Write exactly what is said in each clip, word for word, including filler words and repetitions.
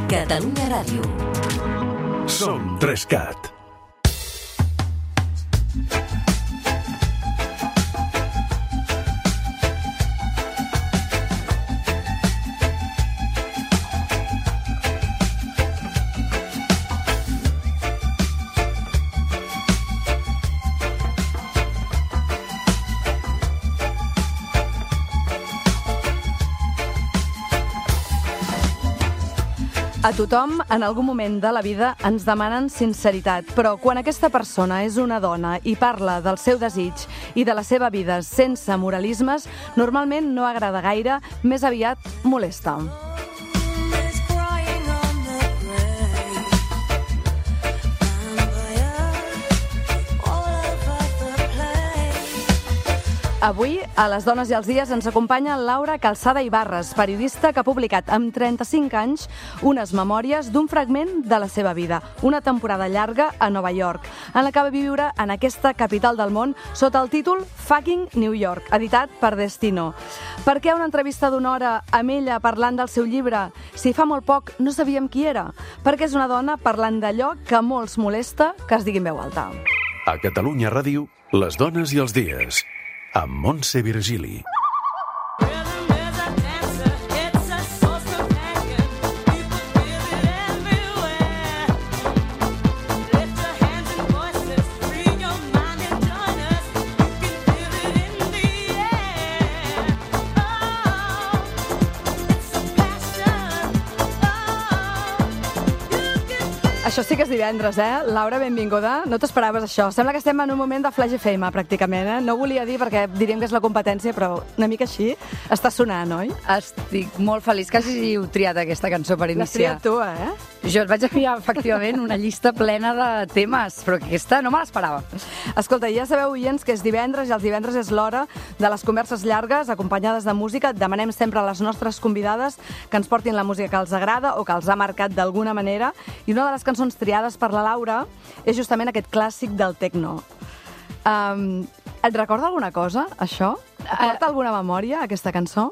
Catalunya Ràdio. Som Trescat. A tothom, en algun moment de la vida, ens demanen sinceritat, però quan aquesta persona és una dona i parla del seu desig i de la seva vida sense moralismes, normalment no agrada gaire, més aviat molesta. Avui, a Les dones i els dies, ens acompanya Laura Calzada Ibarres, periodista que ha publicat amb trenta-cinc anys unes memòries d'un fragment de la seva vida, una temporada llarga a Nova York, en la que va viure en aquesta capital del món sota el títol Fucking New York, editat per Destino. Per què una entrevista d'una hora amb ella parlant del seu llibre si fa molt poc no sabíem qui era? Perquè és una dona parlant d'allò que molts molesta que es digui en veu alta. A Catalunya Ràdio, Les dones i els dies, amb Montse Virgili. Això sí que és divendres, eh? Laura, benvinguda. No t'esperaves això. Sembla que estem en un moment de Flash F M, pràcticament, eh? No volia dir perquè diríem que és la competència, però una mica així està sonant, oi? Estic molt feliç que hàgiu triat aquesta cançó per L'has iniciar. triat tu, eh? Jo et vaig enviar, efectivament, una llista plena de temes, però aquesta no me l'esperava. Escolta, ja sabeu, oients, que és divendres i els divendres és l'hora de les converses llargues acompanyades de música. Demanem sempre a les nostres convidades que ens portin la música que els agrada o que els ha marcat d'alguna manera. I una de les cançons triades per la Laura és justament aquest clàssic del techno. Um, et recorda alguna cosa, això? Et porta alguna memòria, aquesta cançó?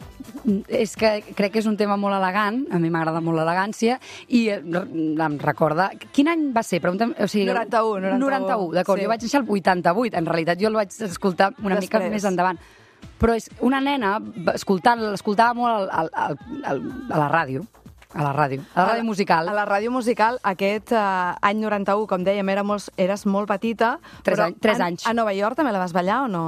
És que crec que és un tema molt elegant, a mi m'agrada molt l'elegància, i em recorda... Quin any va ser? Pregunta'm, o sigui, noranta-u, noranta-u. noranta-u, d'acord. Sí. Jo vaig néixer al vuitanta-vuit, en realitat jo el vaig escoltar una Després. mica més endavant. Però és una nena, escoltant, l'escoltava molt al, al, al, a la ràdio, a la ràdio, a la ràdio musical. A la ràdio musical, aquest uh, any noranta-u, com dèiem, era molt, eres molt petita. Tres, però any, tres a, anys. A Nova York també la vas ballar o no?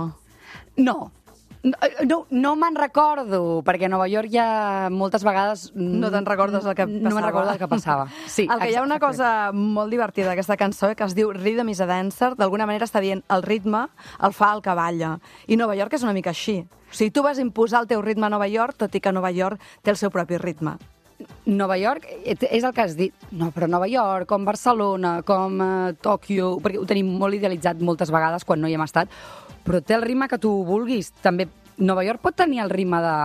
No. No, no me'n recordo, perquè a Nova York ja moltes vegades... No te'n recordes el que passava. No me'n recordo el que passava. Sí, el que hi ha una cosa molt divertida d'aquesta cançó que es diu Rhythm is a Dancer, d'alguna manera està dient el ritme el fa el que balla. I Nova York és una mica així. O sigui, tu vas imposar el teu ritme a Nova York, tot i que Nova York té el seu propi ritme. Nova York és el que has dit. No, però Nova York, com Barcelona, com uh, Tòquio, perquè ho tenim molt idealitzat moltes vegades quan no hi hem estat, però té el ritme que tu vulguis. També Nova York pot tenir el ritme de,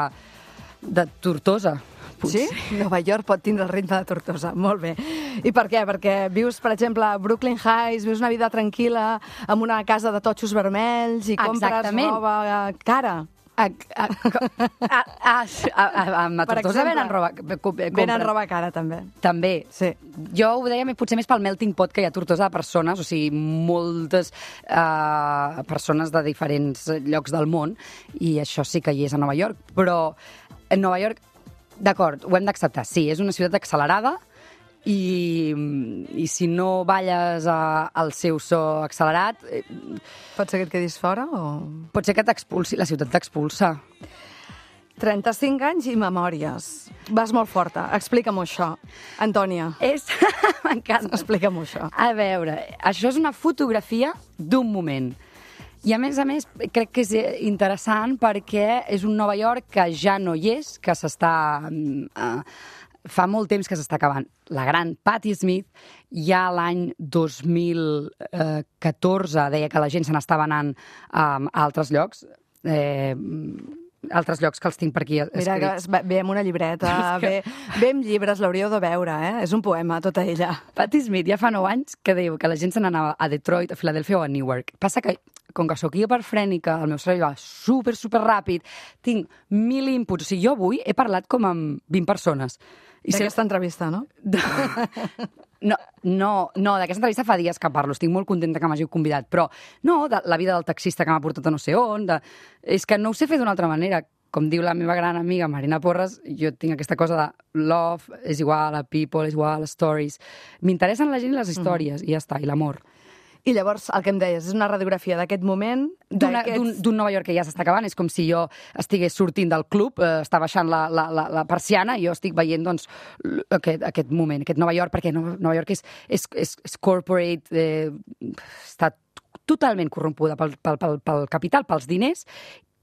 de Tortosa. Potser. Sí? Nova York pot tindre el ritme de Tortosa. Molt bé. I per què? Perquè vius, per exemple, a Brooklyn Heights, vius una vida tranquil·la, amb una casa de totxos vermells i compres Exactament. roba cara. A, a, a, a, a, a, a Tortosa venen roba... Venen roba cara, també. També. Sí. Jo ho deia potser més pel melting pot que hi ha Tortosa de persones, o sigui, moltes uh, persones de diferents llocs del món, i això sí que hi és a Nova York. Però en Nova York, d'acord, ho hem d'acceptar. Sí, és una ciutat accelerada, i, i si no balles a, al seu so accelerat... Eh, pot ser que et quedis fora o...? Pot ser que t'expulsi, la ciutat t'expulsa. trenta-cinc anys i memòries. Vas molt forta. Explica'm-ho això. Antònia. És... M'encanta. Explica'm-ho això. A veure, això és una fotografia d'un moment. I a més a més crec que és interessant perquè és un Nova York que ja no hi és, que s'està... Eh, fa molt temps que s'està acabant. La gran Patti Smith ja l'any dos mil catorze deia que la gent se n'estava anant um, a altres llocs, eh, altres llocs que els tinc per aquí escrits. Mira, que ve amb una llibreta, ve, ve amb llibres, l'hauríeu de veure, eh? És un poema, tota ella. Patti Smith ja fa nou anys que diu que la gent se n'anava a Detroit, a Filadèlfia o a Newark. Passa que, com que sóc hiperfrènica, el meu cervell va super, super ràpid, tinc mil inputs. O sigui, jo avui he parlat com amb vint persones. D'aquesta entrevista, no? No, no, no d'aquesta entrevista fa dies que parlo, estic molt contenta que m'hàgiu convidat, però no, de la vida del taxista que m'ha portat a no sé on, de... és que no ho sé fer d'una altra manera. Com diu la meva gran amiga Marina Porres, jo tinc aquesta cosa de love és igual a people, és igual a stories. M'interessen la gent i les històries, mm. i ja està, i l'amor. I llavors, el que em deies, és una radiografia d'aquest moment... D'un Nova York que ja s'està acabant, és com si jo estigués sortint del club, eh, està baixant la, la, la, la persiana, i jo estic veient doncs, aquest, aquest moment, aquest Nova York, perquè Nova, Nova York és, és, és, és corporate, eh, està totalment corrompuda pel, pel, pel, pel capital, pels diners,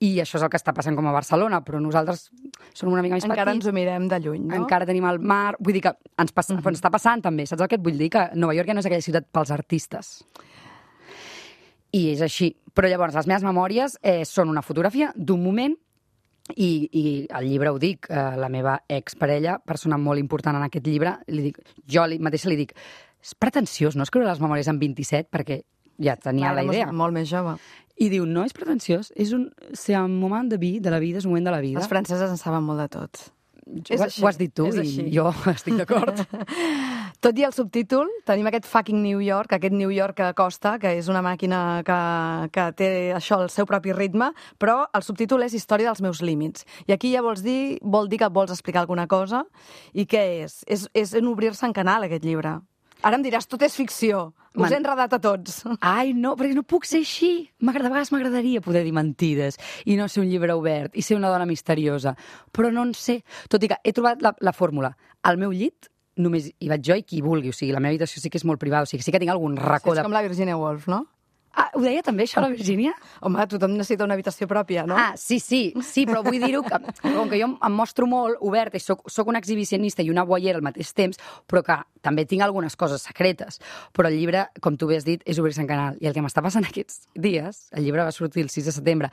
i això és el que està passant com a Barcelona, però nosaltres som una mica més petits. Encara ens ho mirem de lluny, no? Encara tenim el mar... Vull dir que ens, passa, mm-hmm. ens està passant també, saps el que et vull dir? Que Nova York ja no és aquella ciutat pels artistes. I és així. Però llavors, les meves memòries eh, són una fotografia d'un moment i, i el llibre ho dic, eh, la meva exparella, persona molt important en aquest llibre, li dic, jo li, mateixa li dic, és pretensiós no escriure les memòries en vint-i-set perquè ja tenia Clar, la idea. Molt més jove. I diu, no és pretensiós, és un, c'est un moment de vida, de la vida, és un moment de la vida. Els franceses en saben molt de tot. Ho, ho has dit tu i jo estic d'acord. Tot i el subtítol, tenim aquest fucking New York, aquest New York que costa, que és una màquina que, que té això, el seu propi ritme, però el subtítol és Història dels meus límits. I aquí ja vols dir, vol dir que vols explicar alguna cosa. I què és? És, és en obrir-se en canal, aquest llibre. Ara em diràs, tot és ficció. Us Man... he enredat a tots. Ai, no, perquè no puc ser així. De vegades m'agradaria poder dir mentides i no ser un llibre obert i ser una dona misteriosa. Però no en sé. Tot i que he trobat la, la fórmula. Al meu llit només hi vaig jo i qui vulgui. O sigui, la meva habitació sí que és molt privada. O sigui, sí que tinc algun racó sí, és de... com la Virginia Woolf, no? Ah, ho deia també, això, la Virgínia? Home, tothom necessita una habitació pròpia, no? Ah, sí, sí, sí, però vull dir-ho que, com que jo em mostro molt oberta i soc, soc una exhibicionista i una voyeur al mateix temps, però que també tinc algunes coses secretes. Però el llibre, com tu bé has dit, és obrir-se en canal. I el que m'està passant aquests dies, el llibre va sortir el sis de setembre,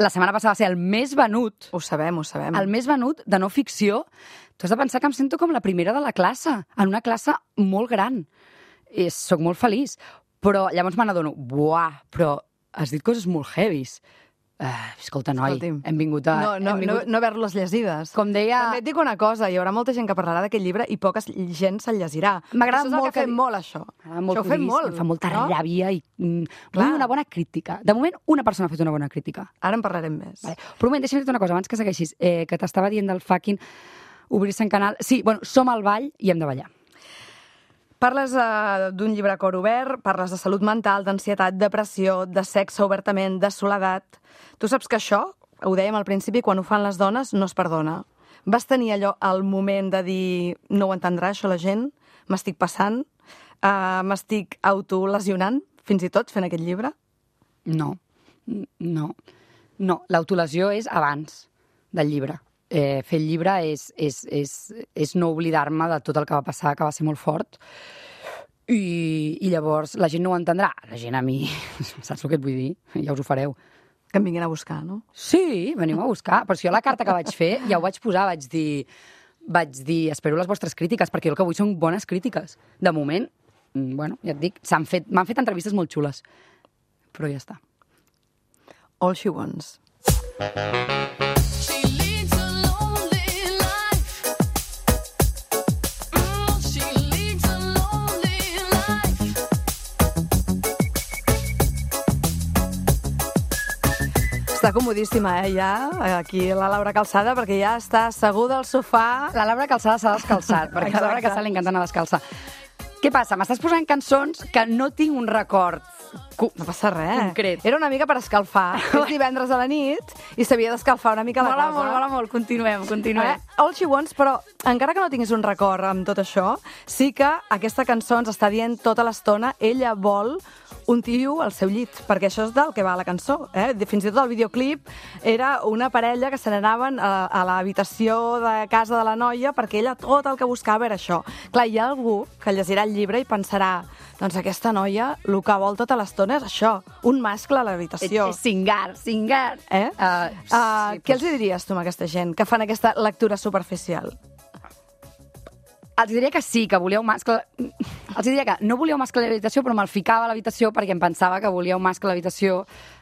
la setmana passada va ser el més venut. Ho sabem, ho sabem. El més venut de no ficció. Tu has de pensar que em sento com la primera de la classe, en una classe molt gran. I soc molt feliç. Però llavors me n'adono, buah, però has dit coses molt heavies. Uh, escolta, noi, Escolti'm. hem vingut a... No, no, hem vingut... no, no haver-les llegides. Com deia... També et dic una cosa, hi haurà molta gent que parlarà d'aquest llibre i poca gent se'l llegirà. M'agrada molt molt que... fem molt, això. Molt això ho fem molt. Em fa molta no? ràbia i... Mm, vull una bona crítica. De moment, una persona ha fet una bona crítica. Ara en parlarem més. Vale. Però un moment, deixa'm dir una cosa, abans que segueixis, eh, que t'estava dient del fucking obrir-se en canal. Sí, bueno, som al ball i hem de ballar. Parles uh, d'un llibre a cor obert, parles de salut mental, d'ansietat, depressió, de sexe obertament, de soledat. Tu saps que això, ho dèiem al principi, quan ho fan les dones, no es perdona. Vas tenir allò, el moment de dir, no ho entendrà això la gent, m'estic passant, uh, m'estic autolesionant, fins i tot, fent aquest llibre? No, no. No, l'autolesió és abans del llibre. Eh, fer el llibre és, és, és, és no oblidar-me de tot el que va passar, que va ser molt fort, i, i llavors la gent no ho entendrà. La gent a mi, saps el que et vull dir? Ja us ho fareu. Que em vinguin a buscar, no? Sí, venim a buscar. Però si jo la carta que vaig fer ja ho vaig posar, vaig dir, vaig dir espero les vostres crítiques, perquè jo el que vull són bones crítiques. De moment, bueno, ja et dic, s'han fet, m'han fet entrevistes molt xules, però ja està. All She Wants. Està comodíssima, eh, ja, aquí la Laura Calçada, perquè ja està asseguda al sofà. La Laura Calçada s'ha descalçat, perquè a la Laura Calçada li encanta anar descalça. Què passa? M'estàs posant cançons que no tinc un record no passa res. Concret. Era una mica per escalfar. És divendres a la nit i s'havia d'escalfar una mica la mola casa. Mola molt, mola molt. Continuem, continuem. Eh? All She Wants, però encara que no tinguis un record amb tot això, sí que aquesta cançó ens està dient tota l'estona ella vol un tio al seu llit, perquè això és del que va la cançó. Eh? Fins i tot el videoclip era una parella que se n'anaven a, a l'habitació de casa de la noia perquè ella tot el que buscava era això. Clar, hi ha algú que llegirà el llibre i pensarà doncs aquesta noia el que vol tota l'estona és això, un mascle a l'habitació. És cingar, cingar. Eh? Uh, uh, sí, què els diries tu a aquesta gent que fan aquesta lectura superficial? Els diria que sí, que volia un mascle... Els diria que no volia un mascle a l'habitació, però me'l ficava a l'habitació perquè em pensava que volia un mascle a l'habitació,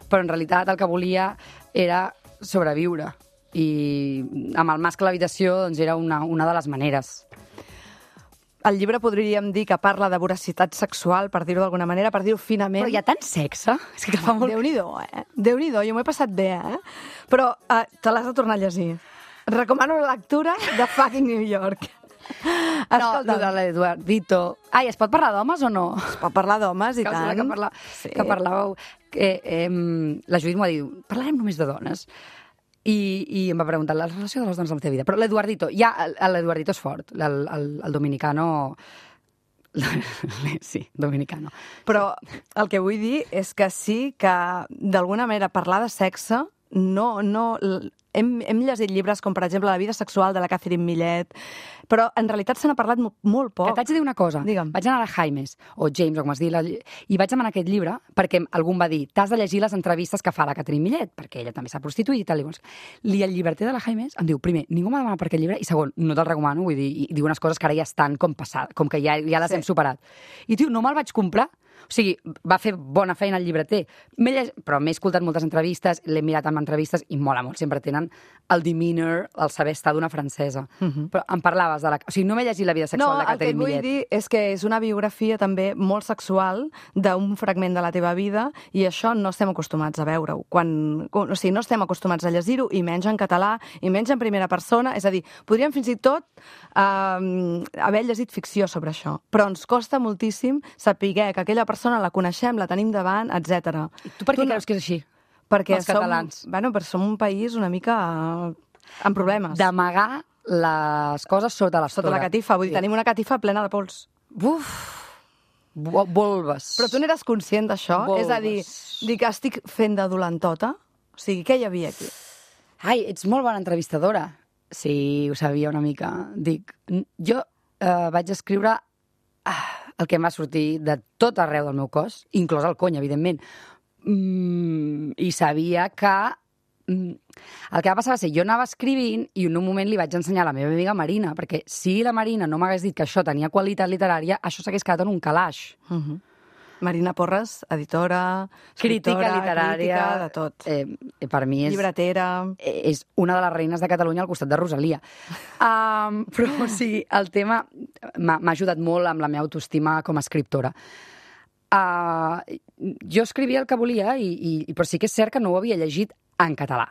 però en realitat el que volia era sobreviure. i amb el mascle a l'habitació doncs, era una, una de les maneres. El llibre podríem dir que parla de voracitat sexual, per dir-ho d'alguna manera, per dir-ho finament. Però hi ha tant sexe? És que fa molt... Déu-n'hi-do, eh? Déu-n'hi-do, jo m'ho he passat bé, eh? Però uh, te l'has de tornar a llegir. Recomano la lectura de fucking New York. No, de l'Eduardito... Ai, es pot parlar d'homes o no? Es pot parlar d'homes, i que tant. Que, parla... sí. que parlàveu... Eh, eh, la Judit m'ho ha dit, parlarem només de dones. I, i em va preguntar la relació de les dones amb la teva vida. Però l'Eduardito, ja, l'Eduardito és fort, el, el, el dominicano... Sí, dominicano. Però el que vull dir és que sí que, d'alguna manera, parlar de sexe no... no hem, hem llegit llibres com, per exemple, La vida sexual de la Catherine Millet, però en realitat se n'ha parlat molt poc. Que t'haig de dir una cosa. Digue'm. Vaig anar a la Jaimes, o James, o com es diu, i vaig demanar aquest llibre perquè algú em va dir, t'has de llegir les entrevistes que fa la Catherine Millet, perquè ella també s'ha prostituït i tal. I, I el llibreter de la Jaimes em diu, primer, ningú m'ha demanat per aquest llibre, i segon, no te'l recomano, vull dir, i diu unes coses que ara ja estan com passades, com que ja, ja les sí. hem superat. I, tio, no me'l vaig comprar. O sigui, va fer bona feina el llibreter. Lleg... Però m'he escoltat moltes entrevistes, l'he mirat amb entrevistes i mola molt. Sempre tenen el demeanor, el saber estar d'una francesa. Uh -huh. Però em parlaves de la... O sigui, no m'he llegit La vida sexual no, de Catherine Millet. No, el que et vull dir és que és una biografia també molt sexual d'un fragment de la teva vida i això no estem acostumats a veure-ho. Quan... O sigui, no estem acostumats a llegir-ho, i menys en català, i menys en primera persona. És a dir, podríem fins i tot eh, haver llegit ficció sobre això. Però ens costa moltíssim saber que aquella persona la coneixem, la tenim davant, etcètera. I tu per què tu creus que és així? Perquè els catalans. Som, bueno, perquè som un país una mica amb problemes. D'amagar les coses sota l'estora. Sota la catifa, vull dir, sí. Tenim una catifa plena de pols. Uf! Volves. Però tu n'eres conscient d'això? És a dir, dir que estic fent de dolentota? O sigui, què hi havia aquí? Ai, ets molt bona entrevistadora. Sí, ho sabia una mica. Dic, jo eh, vaig escriure ah, el que em va sortir de tot arreu del meu cos, inclòs el cony, evidentment. Mm, I sabia que... Mm, el que va passar va ser, jo anava escrivint i en un moment li vaig ensenyar a la meva amiga Marina, perquè si la Marina no m'hagués dit que això tenia qualitat literària, això s'hagués quedat en un calaix. Uh -huh. Marina Porres, editora, crítica literària, crítica, de tot. Eh, per mi és... Llibretera. És una de les reines de Catalunya al costat de Rosalia. Um, però, o sigui, el tema m'ha ajudat molt amb la meva autoestima com a escriptora. Uh, jo escrivia el que volia, i, i, però sí que és cert que no ho havia llegit en català.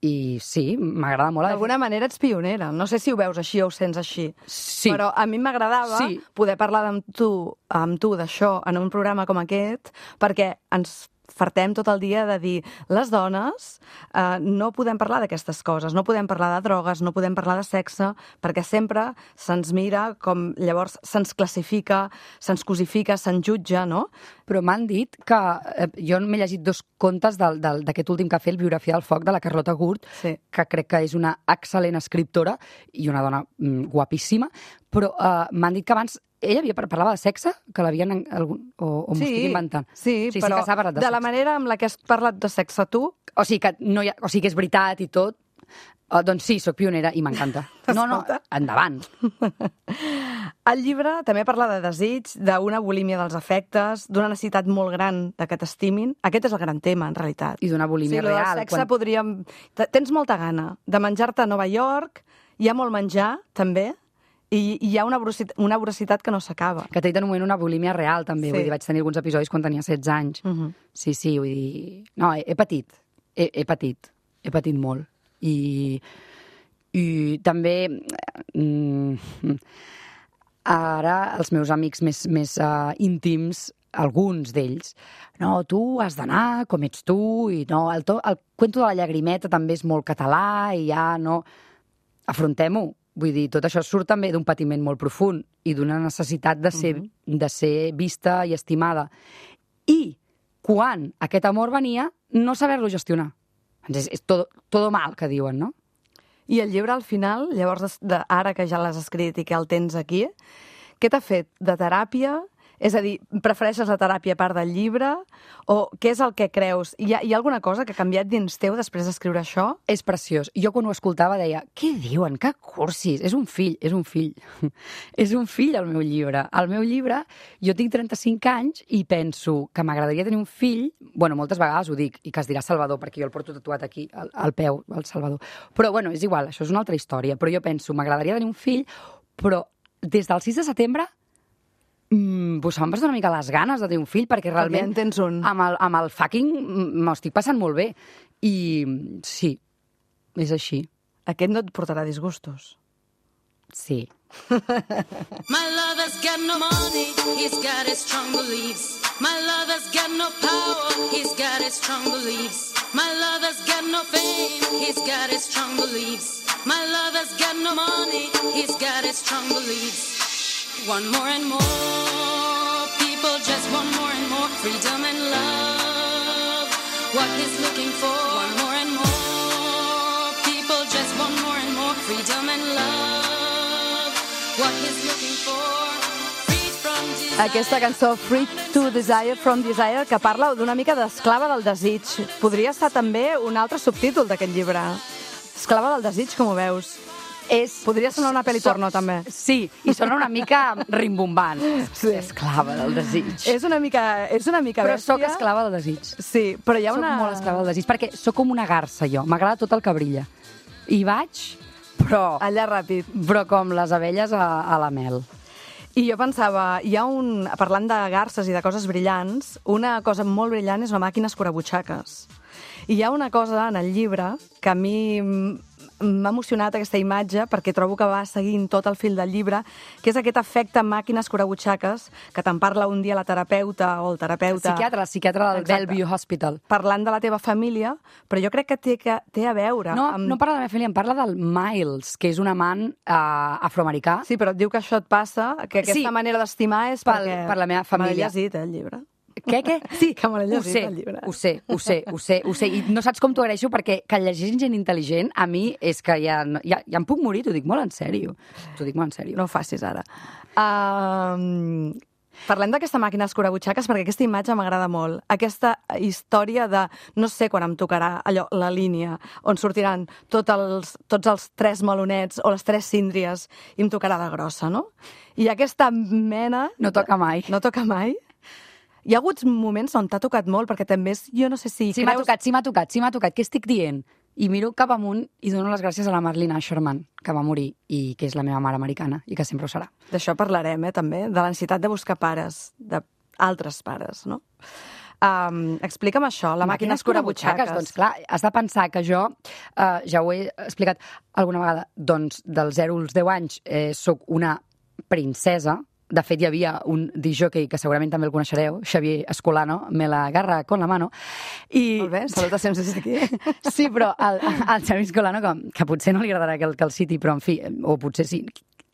I sí, m'agrada molt. D'alguna manera ets pionera. No sé si ho veus així o ho sents així. Sí. Però a mi m'agradava sí. poder parlar amb tu, amb tu d'això en un programa com aquest, perquè ens fartem tot el dia de dir les dones eh, no podem parlar d'aquestes coses, no podem parlar de drogues, no podem parlar de sexe, perquè sempre se'ns mira com llavors se'ns classifica, se'ns cosifica, se'ns jutja, no? Però m'han dit que... Eh, jo m'he llegit dos contes d'aquest últim que ha fet, el Biografia del foc, de la Carlota Gurt, sí. que crec que és una excel·lent escriptora i una dona mm, guapíssima, però eh, m'han dit que abans ella havia parlava de sexe, que l'havien... Algun... O, o m'ho sí, estic inventant. Sí, sí, però sí que de, de la manera amb la que has parlat de sexe tu... O sigui que, no hi ha, o sigui que és veritat i tot. Uh, doncs sí, sóc pionera i m'encanta. No, no, endavant. El llibre també parla de desig, d'una bulímia dels afectes, d'una necessitat molt gran de que t'estimin. Aquest és el gran tema, en realitat. I d'una bulímia sí, real. Sí, el sexe quan... podríem... Tens molta gana de menjar-te a Nova York, hi ha molt menjar, també, i hi ha una voracitat, una voracitat que no s'acaba. Que t'he dit en un moment una bulímia real, també. Sí. Vull dir, vaig tenir alguns episodis quan tenia setze anys. Uh -huh. Sí, sí, vull dir... No, he, he patit. He, he patit. He patit molt. I, i també... Mm, ara, els meus amics més, més uh, íntims, alguns d'ells, no, tu has d'anar com ets tu, i no, el, to, el cuento de la llagrimeta també és molt català, i ja no... Afrontem-ho. Vull dir, tot això surt també d'un patiment molt profund i d'una necessitat de ser, uh-huh. de ser vista i estimada. I quan aquest amor venia, no saber-lo gestionar. És, és tot, tot mal, que diuen, no? I el llibre, al final, llavors, de, ara que ja l'has escrit i que el tens aquí, què t'ha fet de teràpia És a dir, prefereixes la teràpia a part del llibre? O què és el que creus? Hi ha, hi ha alguna cosa que ha canviat dins teu després d'escriure això? És preciós. Jo quan ho escoltava deia, què diuen? Que cursis? És un fill, és un fill. És un fill el meu llibre. El meu llibre, jo tinc trenta-cinc anys i penso que m'agradaria tenir un fill, bueno, moltes vegades ho dic, i que es dirà Salvador, perquè jo el porto tatuat aquí, al, al peu, el Salvador. Però, bueno, és igual, això és una altra història. Però jo penso, m'agradaria tenir un fill, però des del sis de setembre Mm, pues se'm va una mica les ganes de tenir un fill, perquè realment ja tens un. amb, el, amb el fucking m'ho estic passant molt bé. I sí, és així. Aquest no et portarà disgustos. Sí. My lover's got no money, he's got his strong beliefs. My lover's got no power, he's got his strong beliefs. My lover's got no fame, he's got his strong beliefs. My lover's got no money, he's got his strong beliefs. Want more and more, people just want more and more freedom and love, what he's looking for. Want more and more, people just want more and more freedom and love, what he's looking for. Freed from desire. Aquesta cançó, Free to Desire from Desire, que parla d'una mica d'esclava del desig. Podria estar també un altre subtítol d'aquest llibre. Esclava del desig, com ho veus? És... Podria sonar una pel·li porno, també. Sí, i sona una mica rimbombant. Sí. Esclava del desig. És una mica, és una mica Però bèstia. sóc esclava del desig. Sí, però hi ha Soc una... molt esclava del desig, perquè sóc com una garça, jo. M'agrada tot el que brilla. I vaig, però... Allà ràpid. Però com les abelles a, a la mel. I jo pensava, hi ha un... Parlant de garces i de coses brillants, una cosa molt brillant és una màquina escurabutxaques. I hi ha una cosa en el llibre que a mi m'ha emocionat, aquesta imatge, perquè trobo que va seguint tot el fil del llibre, que és aquest efecte màquina escurabutxaques que te'n parla un dia la terapeuta o el terapeuta... El psiquiatre, el psiquiatre del Exacte. Bellevue Hospital. Parlant de la teva família, però jo crec que té, que té a veure... No, amb... no parla de la meva família, em parla del Miles, que és un amant eh, afroamericà. Sí, però et diu que això et passa, que aquesta Sí. manera d'estimar és Pel- perquè... per la meva família. Me l'he llegit, eh, el llibre. Què, què? Sí, que me l'he Ho llegit, sé, el llibre. ho sé, ho sé, ho sé, ho sé. I no saps com t'ho agraeixo, perquè que llegeix gent intel·ligent, a mi és que ja, no- ja, ja em puc morir, t'ho dic molt en sèrio. T'ho dic molt en sèrio. No ho facis ara. Um, parlem d'aquesta màquina escurabutxaques perquè aquesta imatge m'agrada molt. Aquesta història de no sé quan em tocarà allò, la línia, on sortiran tot els, tots els tres melonets o les tres síndries i em tocarà la grossa, no? I aquesta mena... No toca mai. No toca mai? Hi ha hagut moments on t'ha tocat molt, perquè també és, jo no sé si Sí, m'ha creus... tocat, sí, m'ha tocat, sí, m'ha tocat. Què estic dient? I miro cap amunt i dono les gràcies a la Marlene Asherman, que va morir i que és la meva mare americana i que sempre ho serà. D'això parlarem, eh, també, de la necessitat de buscar pares, d'altres pares, no? Um, explica'm això, la màquina escurabutxaques. Doncs clar, has de pensar que jo, eh, ja ho he explicat alguna vegada, doncs dels zero als deu anys eh, sóc una princesa. De fet, hi havia un disjockey, que segurament també el coneixereu, Xavier Escolano, me la agarra con la mano. I... Molt bé, salutacions des d'aquí. Sí, però el, el Xavier Escolano, que, que potser no li agradarà que el, que el citi, però en fi, o potser sí.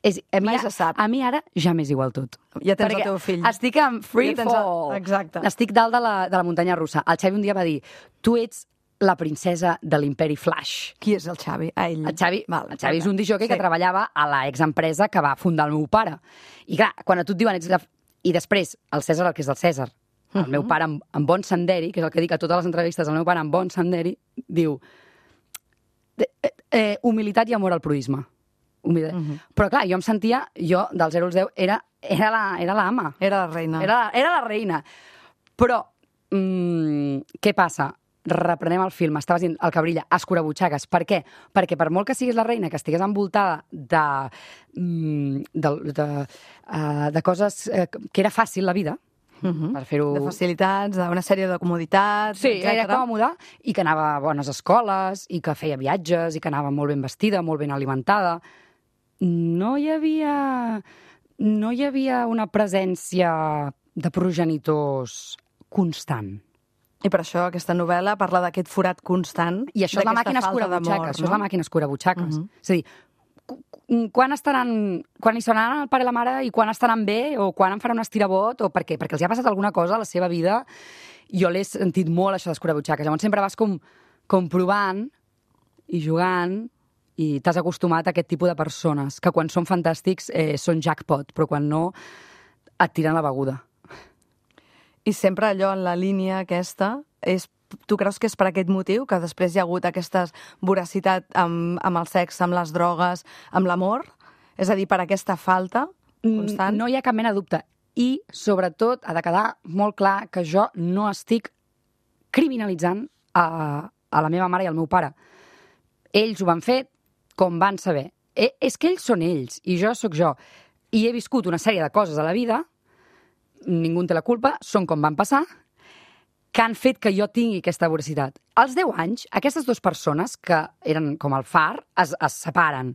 És, a, mi, Mai se sap. a mi ara ja m'és igual tot. Ja tens Perquè el teu fill. estic en free Ja tens el- fall. exacte. Estic dalt de la, de la muntanya russa. El Xavi un dia va dir, tu ets la princesa de l'imperi Flash. Qui és el Xavi? Ah, ell. El Xavi, Val, el Xavi és un disjockey sí. que treballava a la exempresa que va fundar el meu pare. I clar, quan a tu et diuen... Ets la... I després, el César, el que és del César. El uh -huh. meu pare, en, en bon senderi, que és el que dic a totes les entrevistes, el meu pare, en bon senderi, diu eh, eh, humilitat i amor al proisme. Humilitat. Uh -huh. Però clar, jo em sentia, jo, del zero als deu, era, era, la, era la ama. Era la reina. Era, era la reina. Però, mm, què passa? Reprenem el film, estaves dient el que brilla, escurabutxaques. Per què? Perquè per molt que siguis la reina, que estigués envoltada de, mm, de, de, uh, de coses uh, que era fàcil la vida, Uh -huh. per fer-ho... De facilitats, d'una sèrie de comoditats, Sí, etcètera. era còmode, i que anava a bones escoles, i que feia viatges, i que anava molt ben vestida, molt ben alimentada. No hi havia... No hi havia una presència de progenitors constant. I per això aquesta novel·la parla d'aquest forat constant. I això és la d'aquesta màquina falta d'amor, escurabutxaques, això és no? la màquina escurabutxaques. Mhm. És a dir, cu- cu- quan estaran, quan hi seran el pare i la mare i quan estaran bé, o quan em faran un estirabot, o per què? Perquè els hi ha passat alguna cosa a la seva vida. Jo l'he sentit molt, això d'escurabutxaques. Llavors sempre vas com, com provant i jugant i t'has acostumat a aquest tipus de persones que quan són fantàstics eh, són jackpot, però quan no et tiren la beguda. I sempre allò en la línia aquesta, és, tu creus que és per aquest motiu que després hi ha hagut aquesta voracitat amb, amb el sexe, amb les drogues, amb l'amor? És a dir, per aquesta falta constant? No hi ha cap mena de dubte. I, sobretot, ha de quedar molt clar que jo no estic criminalitzant a, a la meva mare i al meu pare. Ells ho van fer com van saber. Eh, és que ells són ells i jo sóc jo. I he viscut una sèrie de coses a la vida, ningú en té la culpa, són com van passar, que han fet que jo tingui aquesta voracitat. Als deu anys, aquestes dues persones, que eren com el far, es, es separen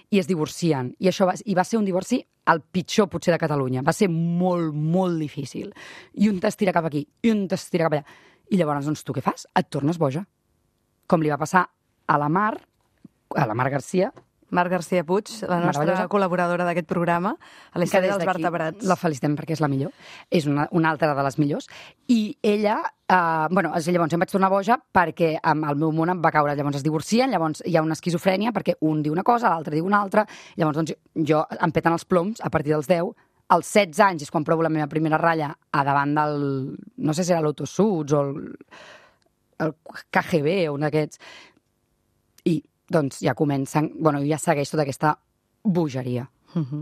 i es divorcien. I això va, i va ser un divorci el pitjor, potser, de Catalunya. Va ser molt, molt difícil. I un t'estira cap aquí, i un t'estira cap allà. I llavors, doncs, tu què fas? Et tornes boja. Com li va passar a la Mar, a la Mar Garcia, Mar Garcia Puig, la nostra col·laboradora d'aquest programa, a la història dels vertebrats. La felicitem perquè és la millor. És una, una altra de les millors. I ella, eh, bueno, llavors em vaig tornar boja perquè el meu món em va caure. Llavors es divorcien, llavors hi ha una esquizofrènia perquè un diu una cosa, l'altre diu una altra. Llavors doncs, jo em peten els ploms a partir dels deu. Als setze anys és quan provo la meva primera ratlla a davant del... no sé si era l'Autosuds o el, el K G B o un d'aquests. I doncs ja comencen, bueno, ja segueix tota aquesta bogeria. Uh-huh.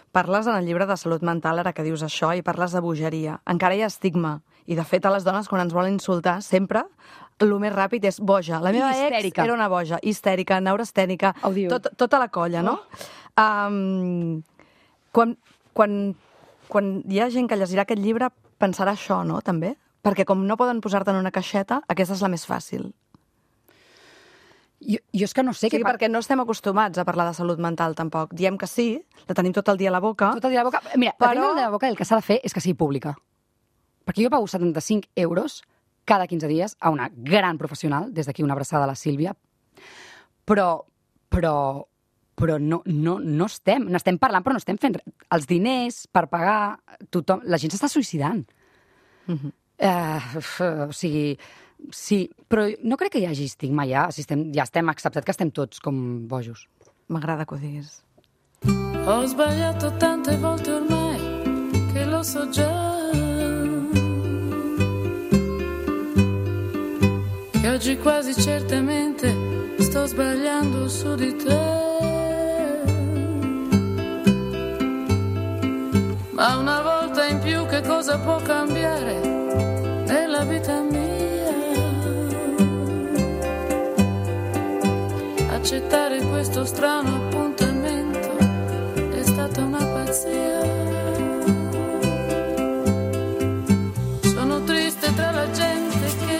Parles en el llibre de salut mental, ara que dius això, i parles de bogeria. Encara hi ha estigma. I, de fet, a les dones, quan ens volen insultar, sempre el més ràpid és boja. La meva ex era una boja, histèrica, neurastènica, tot, tota la colla, no? Oh. Um, quan, quan, quan hi ha gent que llegirà aquest llibre, pensarà això, no?, també? Perquè com no poden posar-te en una caixeta, aquesta és la més fàcil. Jo, jo és que no sé... Sí, que perquè no estem acostumats a parlar de salut mental, tampoc. Diem que sí, la tenim tot el dia a la boca. Tot el dia a la boca. Mira, però... la tenim a la boca, el que s'ha de fer és que sigui pública. Perquè jo pago setanta-cinc euros cada quinze dies a una gran professional, des d'aquí una abraçada a la Sílvia, però, però, però no, no, no estem, n'estem parlant, però no estem fent res. Els diners per pagar, tothom... La gent s'està suïcidant. Uh-huh. uh, o sigui... Sí, però no crec que hi hagi estigma ja, si estem, ja estem acceptat que estem tots com bojos. M'agrada que ho diguis. Ho sbagliato tante volte ormai che lo so già, che oggi quasi certamente sto sbagliando su di te, ma una volta in più che cosa può cambiare nella vita mia? Accettare questo strano appuntamento è stata una pazzia. Sono triste tra la gente che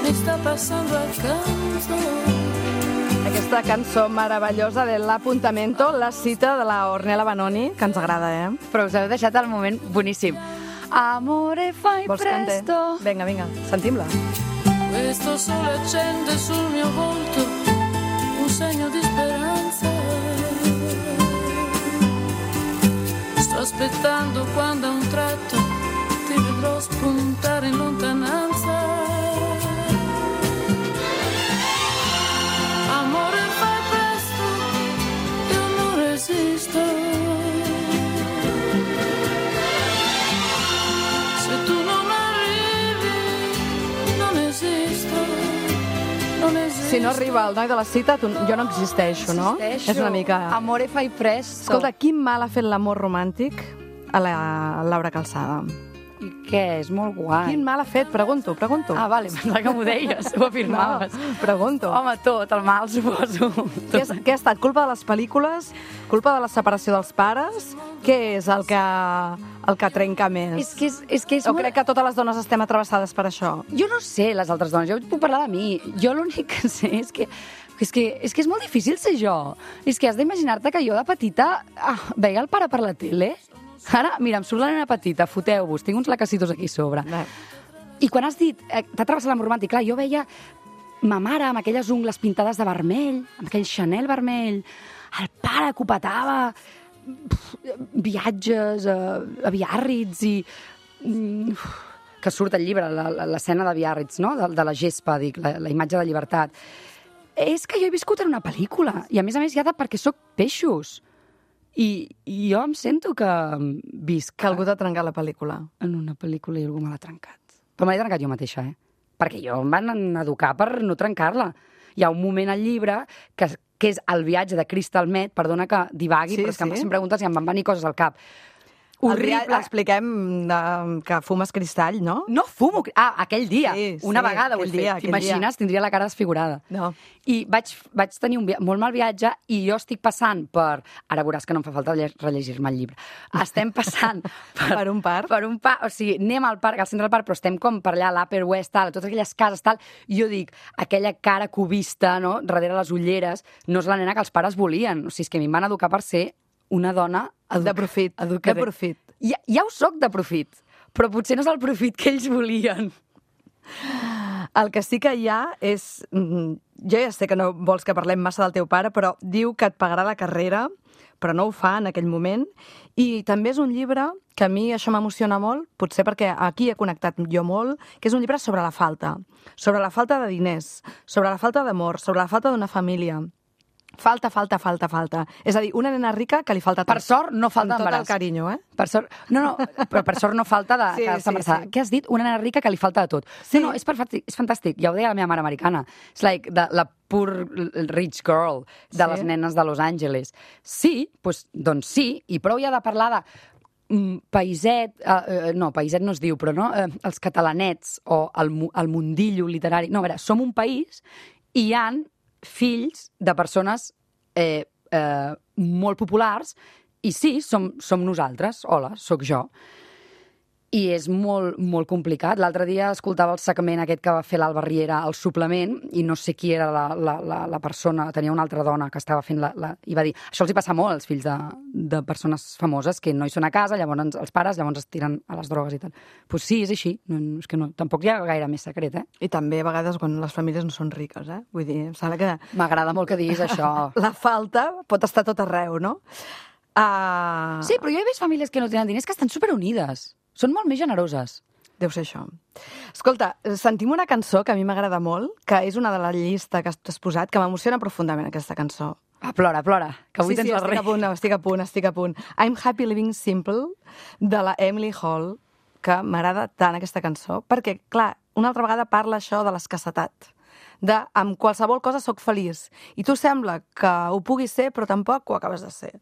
mi sta passando accanto. Aquesta cançó meravellosa de l'Apuntamento, la cita de la Ornella Vanoni, que ens agrada, eh? Però us heu deixat el moment boníssim. Amore fai Vols presto. Canter? Vinga, vinga, sentim-la. Questo sole accende sul mio volto un segno di speranza. Sto aspettando quando a un tratto ti vedrò spuntare in lontananza. Amore fai presto, io non resisto. Se tu non arrivi, non esisto. Si no arriba el noi de la cita, tu, jo no existeixo, no? Existeixo. És una mica... Amore fai presto. Escolta, quin mal ha fet l'amor romàntic a la Laura Calçada? I què? És molt guai. Quin mal ha fet? Pregunto, pregunto. Ah, vale, pensava que m'ho deies, ho afirmaves. No, pregunto. Home, tot, el mal, suposo. Què, és, què ha estat? Culpa de les pel·lícules? Culpa de la separació dels pares? Què és el que, el que trenca més? És que és, és, que és o molt... crec que totes les dones estem atravessades per això? Jo no sé, les altres dones, jo puc parlar de mi. Jo l'únic que sé és que és que, és que és molt difícil ser jo. És que has d'imaginar-te que jo de petita ah, veia el pare per la tele. Ara, mira, em surt la nena petita, foteu-vos, tinc uns lacacitos aquí a sobre. Bé. I quan has dit, eh, t'ha travessat l'amor romàntic, clar, jo veia ma mare amb aquelles ungles pintades de vermell, amb aquell Chanel vermell, el pare que ho petava, pf, viatges a, a Biarritz i... Uf, que surt al llibre, l'escena de Biarritz, no? de, de la gespa, dic, la, la imatge de llibertat. És que jo he viscut en una pel·lícula, i a més a més ja de perquè sóc peixos. I, i jo em sento que visc... Que algú t'ha trencat la pel·lícula. En una pel·lícula i algú me l'ha trencat. Però me l'he trencat jo mateixa, eh? Perquè jo em van educar per no trencar-la. Hi ha un moment al llibre que, que és el viatge de Crystal Meth, perdona que divagui, Sí, però és que sí. em preguntes i em van venir coses al cap. Horrible. Horrible. Expliquem de, que fumes cristall, no? No fumo... Ah, aquell dia. Sí, sí, una vegada ho he aquell fet. dia, aquell T'imagines? Tindria la cara desfigurada. No. I vaig, vaig tenir un via... molt mal viatge i jo estic passant per... Ara veuràs que no em fa falta lle- rellegir-me el llibre. Estem passant per... Per un parc? Per un parc. O sigui, anem al parc, al centre del parc, però estem com per allà, a l'Upper West, tal, totes aquelles cases, tal. I jo dic, aquella cara cubista, no?, darrere les ulleres, no és la nena que els pares volien. O sigui, és que a mi em van educar per ser una dona... Edu... De profit, educada. de profit. Ja, ja ho soc de profit, però potser no és el profit que ells volien. El que sí que hi ha és... mm, Jo ja sé que no vols que parlem massa del teu pare, però diu que et pagarà la carrera, però no ho fa en aquell moment. I també és un llibre que a mi això m'emociona molt, potser perquè aquí he connectat jo molt, que és un llibre sobre la falta. Sobre la falta de diners, sobre la falta d'amor, sobre la falta d'una família. Falta, falta, falta, falta. És a dir, una nena rica que li falta tot. Per sort no falta Amb tot d'embaràs. el carinyo, eh? Per sort... No, no, però per sort no falta de Sí, quedar-se sí, embarassada. sí. Què has dit? Una nena rica que li falta de tot. Sí. No, no, és, perfecte, és fantàstic. Ja ho deia la meva mare americana. És like the, la poor rich girl de Sí. les nenes de Los Angeles. Sí, pues, doncs sí, i prou ja de parlar de mm, paiset, eh, no, paiset no es diu, però no, eh, els catalanets o el, mu- el mundillo literari. No, a veure, som un país i hi han fills de persones eh, eh, molt populars i sí, som, som nosaltres. Hola, sóc jo. I és molt, molt complicat. L'altre dia escoltava el segment aquest que va fer l'Alba Riera al suplement i no sé qui era la, la, la, la persona, tenia una altra dona que estava fent la, la... i va dir, això els hi passa molt als fills de, de persones famoses que no hi són a casa, llavors els pares llavors es tiren a les drogues i tal. Doncs pues sí, és així. No, no, és que no, tampoc hi ha gaire més secret, eh? I també a vegades quan les famílies no són riques, eh? Vull dir, em sembla que M'agrada molt que diguis això. la falta pot estar tot arreu, no? Uh... Sí, però jo he vist famílies que no tenen diners que estan superunides. Són molt més generoses. Deu ser això. Escolta, sentim una cançó que a mi m'agrada molt, que és una de la llista que has posat, que m'emociona profundament, aquesta cançó. Ah, plora, plora, que avui sí, tens sí, la estic rei. a punt, estic a punt, estic a punt. I'm Happy Living Simple, de la Emily Hall, que m'agrada tant aquesta cançó, perquè, clar, una altra vegada parla això de l'escassetat, de amb qualsevol cosa sóc feliç. I tu sembla que ho puguis ser, però tampoc ho acabes de ser.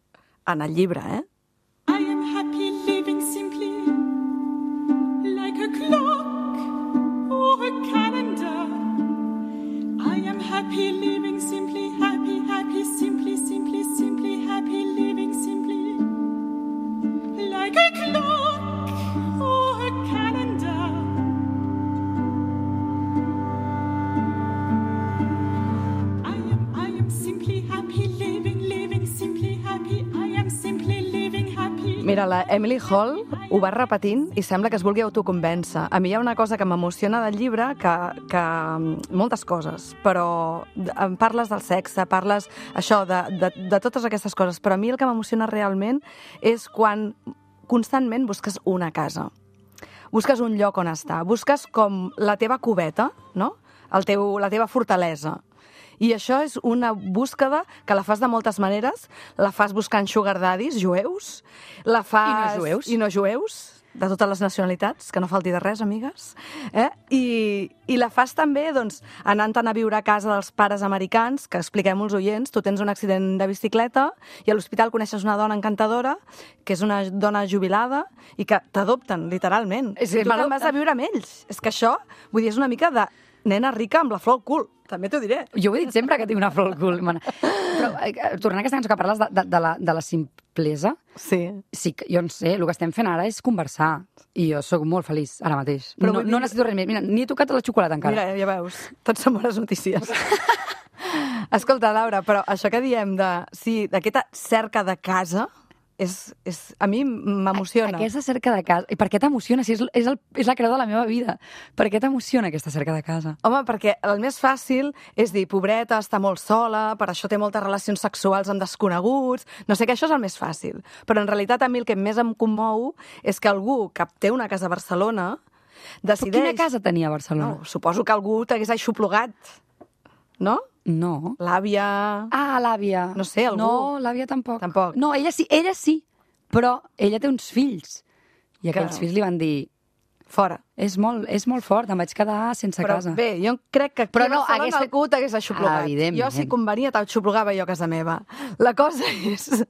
En el llibre, eh? I am happy living simply like a clock or a calendar. I am happy living simply, happy, happy, simply, simply, simply, happy living simply like a clock or a calendar. I am, I am simply happy living, living simply happy. I am simply living happy. Mira, la Emily Hall ho va repetint i sembla que es vulgui autoconvèncer. A mi hi ha una cosa que m'emociona del llibre, que, que moltes coses, però em parles del sexe, parles això, de, de, de totes aquestes coses, però a mi el que m'emociona realment és quan constantment busques una casa. Busques un lloc on estar, busques com la teva cubeta, no? El teu, la teva fortalesa. I això és una búsqueda que la fas de moltes maneres. La fas buscant sugar daddies jueus. La fas... I no jueus. I no jueus, de totes les nacionalitats, que no falti de res, amigues. Eh? I, I la fas també doncs, anant a viure a casa dels pares americans, que expliquem als oients, tu tens un accident de bicicleta i a l'hospital coneixes una dona encantadora, que és una dona jubilada, i que t'adopten, literalment. Sí, I tu te'n vas a viure amb ells. És que això, vull dir, és una mica de nena rica amb la flor al cul. També t'ho diré. Jo ho he dit sempre que tinc una flor al cul. Mana. Però, eh, tornant a aquesta cançó que parles de, de, de, la, de la simplesa, Sí. sí, que jo no sé, el que estem fent ara és conversar. I jo sóc molt feliç ara mateix. Però no, vull dir- no necessito res més. Mira, ni he tocat la xocolata encara. Mira, ja veus, tot són bones notícies. Escolta, Laura, però això que diem de, sí, d'aquesta cerca de casa, és, és, a mi m'emociona. Aquesta cerca de casa... I per què t'emociona? Si és, és, el, és la creu de la meva vida. Per què t'emociona aquesta cerca de casa? Home, perquè el més fàcil és dir, pobreta, està molt sola, per això té moltes relacions sexuals amb desconeguts, no sé què, això és el més fàcil. Però en realitat a mi el que més em commou és que algú que té una casa a Barcelona decideix... Però quina casa tenia a Barcelona? No, suposo que algú t'hagués aixoplugat, no? No. L'àvia... Ah, l'àvia. No sé, algú. No, l'àvia tampoc. Tampoc. No, ella sí, ella sí, però ella té uns fills. I aquells Que- fills li van dir, Fora. és molt, és molt fort, em vaig quedar sense Però casa. bé, jo crec que aquí Però a no, Barcelona hagués fet- algú t'hagués aixoplugat. Ah, evidentment. Jo, si convenia, t'aixoplugava jo a casa meva. La cosa és...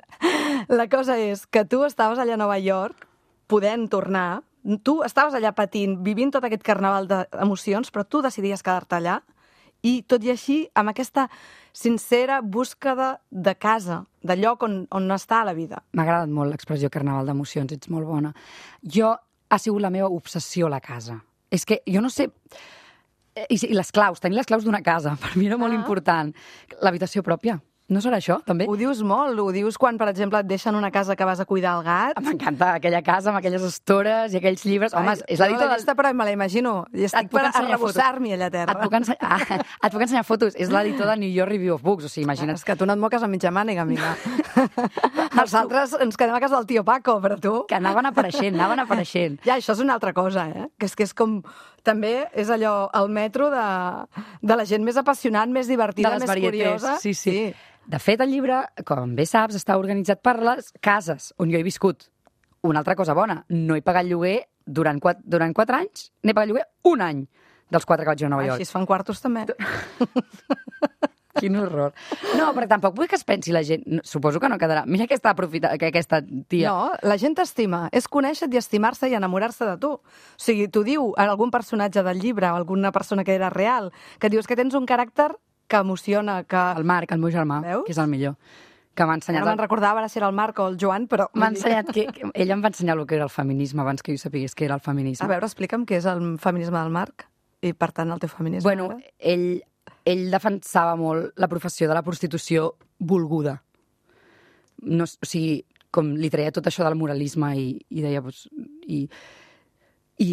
La cosa és que tu estaves allà a Nova York, podent tornar, tu estaves allà patint, vivint tot aquest carnaval d'emocions, però tu decidies quedar-te allà, i tot i així, amb aquesta sincera búsqueda de casa, de lloc on, on està la vida. M'ha agradat molt l'expressió carnaval d'emocions, ets molt bona. Jo, ha sigut la meva obsessió la casa. És que jo no sé... I, i les claus, tenir les claus d'una casa, per mi era molt Ah. important. L'habitació pròpia. No serà això, també? Ho dius molt, ho dius quan, per exemple, et deixen una casa que vas a cuidar el gat. M'encanta aquella casa amb aquelles estores i aquells llibres. Home, Ai, és la no dita l'he del... vista, però me la imagino. I Et estic puc per ensenyar fotos. arrebossar-m'hi allà a terra. Et puc, ensenyar... ah, et puc ensenyar fotos. És l'editor de New York Review of Books. O sigui, imagina't. És que tu no et moques a mitja màniga, amiga. Els altres ens quedem a casa del tio Paco, però tu... Que anaven apareixent, anaven apareixent. Ja, això és una altra cosa, eh? Que és que és com... També és allò, el metro de, de la gent més apassionant, més divertida, De les més varietés. curiosa. Sí, sí, sí. De fet, el llibre, com bé saps, està organitzat per les cases on jo he viscut. Una altra cosa bona, no he pagat lloguer durant quatre, durant quatre anys, n'he pagat lloguer un any dels quatre que vaig a Nova York. Així es fan quartos, també. Quin horror. No, però tampoc vull que es pensi la gent... no, Suposo que no quedarà. Mira aquesta, aprofita... que aquesta tia... No, la gent t'estima. És conèixer-te i estimar-se i enamorar-se de tu. O sigui, t'ho diu en algun personatge del llibre o alguna persona que era real, que dius que tens un caràcter que emociona, que... El Marc, el meu germà, Veus? que és el millor, que m'ha ensenyat... Ara me'n recordava ara si era el Marc o el Joan, però... M'ha ensenyat que, que... Ell em va ensenyar el que era el feminisme abans que jo sapigués que era el feminisme. A veure, explica'm què és el feminisme del Marc i, per tant, el teu feminisme. Bueno, ara. ell, ell defensava molt la professió de la prostitució volguda. No, o sigui, com li treia tot això del moralisme i, i deia... Pues, i, i,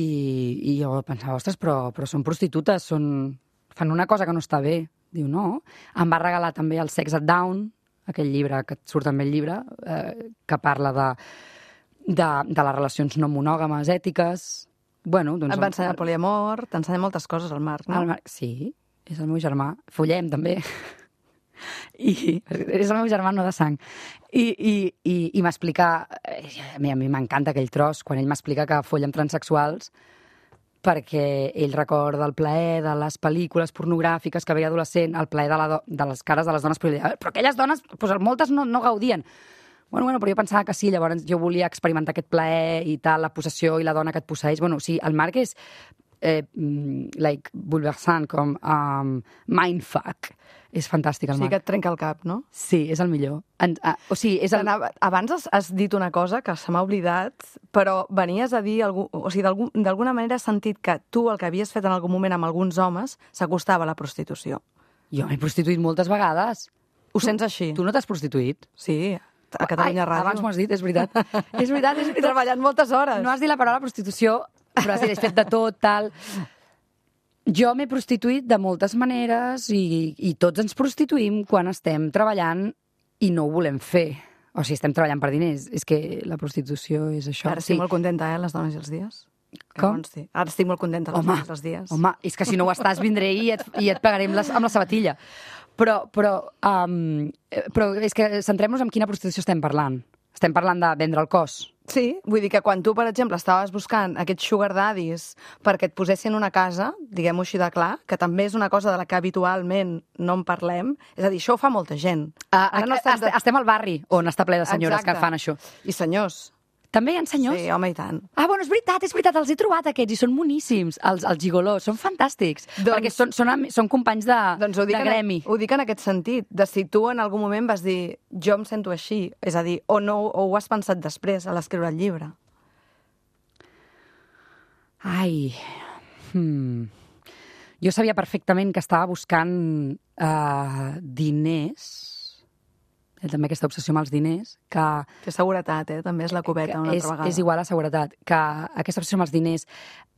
I jo pensava, ostres, però, però són prostitutes, són, fan una cosa que no està bé. Diu, no. Em va regalar també el Sex at Down, aquell llibre que et surt també el llibre, eh, que parla de, de, de les relacions no monògames, ètiques... Bueno, doncs, Et va ensenyar el poliamor, t'ensenya moltes coses, el Marc, no? el Marc, sí, és el meu germà. Follem, també. I és el meu germà, no de sang. I, i, i, i m'explica... A mi, a mi m'encanta aquell tros, quan ell m'explica que folla amb transsexuals perquè ell recorda el plaer de les pel·lícules pornogràfiques que veia adolescent, el plaer de, la do, de les cares de les dones, però, ell deia, però aquelles dones, doncs, moltes no, no gaudien. Bueno, bueno, però jo pensava que sí, llavors jo volia experimentar aquest plaer i tal, la possessió i la dona que et posseeix. Bueno, o sigui, el Marc és eh, like, bulversant, com um, mindfuck. És fantàstic, el O sigui que Marc. et trenca el cap, no? Sí, és el millor. En, uh, o sigui, és el... Anava- Abans has, has dit una cosa que se m'ha oblidat, però venies a dir... Algú, o sigui, d'algú- d'alguna manera has sentit que tu el que havies fet en algun moment amb alguns homes s'acostava a la prostitució. Jo m'he prostituït moltes vegades. Ho sents així? Tu no t'has prostituït? Sí, a Catalunya Ai, Ràdio. abans m'ho has dit, és veritat. és veritat, és He veritat. treballat moltes hores. No has dit la paraula prostitució, però has dit, has fet de tot, tal... Jo m'he prostituït de moltes maneres i, i tots ens prostituïm quan estem treballant i no ho volem fer. O sigui, estem treballant per diners. És que la prostitució és això. Ara estic molt contenta, eh, les dones i els dies. Que Com? consti. Ara estic molt contenta, les Home, dones i els dies. home, és que si no ho estàs, vindré i et, i et pagaré amb la, amb la sabatilla. Però, però, um, però és que centrem-nos en quina prostitució estem parlant. Estem parlant de vendre el cos. Sí, vull dir que quan tu, per exemple, estaves buscant aquests sugar daddies perquè et posessin una casa, diguem-ho així de clar, que també és una cosa de la que habitualment no en parlem, és a dir, això ho fa molta gent. Uh, Ara no estem de- Estem al barri on està ple de senyores Exacte. que fan això. I senyors. També hi ha senyors? Sí, home, i tant. Ah, bueno, és veritat, és veritat, els he trobat aquests i són moníssims, els, els gigolós, són fantàstics, Doncs- perquè són, són, am- són companys de, Doncs ho dic, de en, gremi. ho dic en aquest sentit, de si tu en algun moment vas dir jo em sento així, és a dir, o no, o ho has pensat després a l'escriure el llibre. Ai, hmm. Jo sabia perfectament que estava buscant uh, diners, eh, també aquesta obsessió amb els diners, que Que seguretat, eh? També és la cubeta una és, altra vegada. és igual a seguretat, que aquesta obsessió amb els diners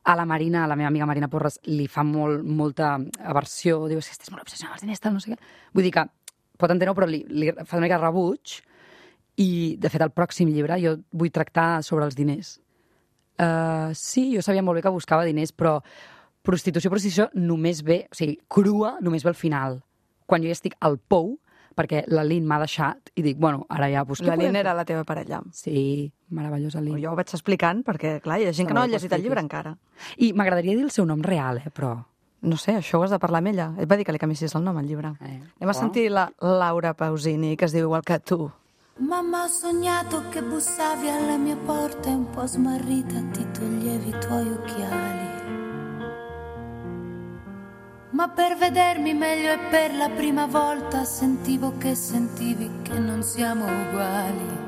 a la Marina, a la meva amiga Marina Porres, li fa molt, molta aversió, diu, és que estàs molt obsessionada amb els diners, tal, no sé què. Vull dir que, pot entendre-ho, però li, li fa una mica de rebuig, i, de fet, el pròxim llibre jo vull tractar sobre els diners. Uh, sí, jo sabia molt bé que buscava diners, però prostitució, prostitució només ve, o sigui, crua només ve al final, quan jo ja estic al pou, perquè la Lin m'ha deixat, i dic, bueno, ara ja... Pues, La Lin era la teva parella. Sí, meravellosa Lin. Jo ho vaig explicant, perquè, clar, hi ha gent que no ha llegit el llibre encara. I m'agradaria dir el seu nom real, eh, però... No sé, això ho has de parlar amb ella. Et va dir que li canviessis el nom al llibre. Eh, Anem a sentir la Laura Pausini, que es diu igual que tu. Mamma, ho sognato che bussavi alle mie porte, un po' smarrita ti toglievi i tuoi occhiali. Ma per vedermi meglio e per la prima volta sentivo che sentivi che non siamo uguali.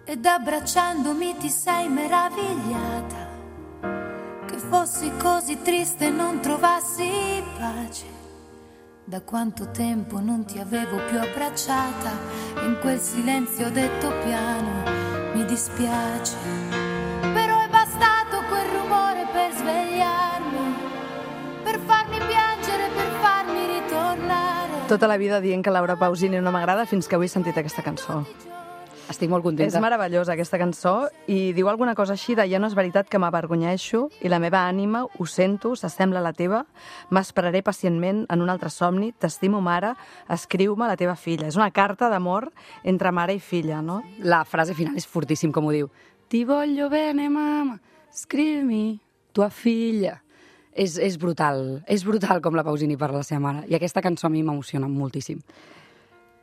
Ed abbracciandomi ti sei meravigliata che fossi così triste e non trovassi pace. Da quanto tempo non ti avevo più abbracciata, in quel silenzio ho detto piano, mi dispiace. Però è bastato quel rumore per svegliarmi, per farmi piangere, per farmi ritornare. Tota la vida dient que Laura Pausini no m'agrada fins que avui he sentit aquesta cançó. Estic molt contenta. És meravellosa aquesta cançó i diu alguna cosa així de ja no és veritat que m'avergonyeixo i la meva ànima, ho sento, s'assembla a la teva, m'esperaré pacientment en un altre somni, t'estimo mare, escriu-me la teva filla. És una carta d'amor entre mare i filla, no? La frase final és fortíssim, com ho diu. Ti voglio bene, mamma, scrivimi tua filla. És, és brutal, és brutal com la Pausini parla la seva mare. I aquesta cançó a mi m'emociona moltíssim.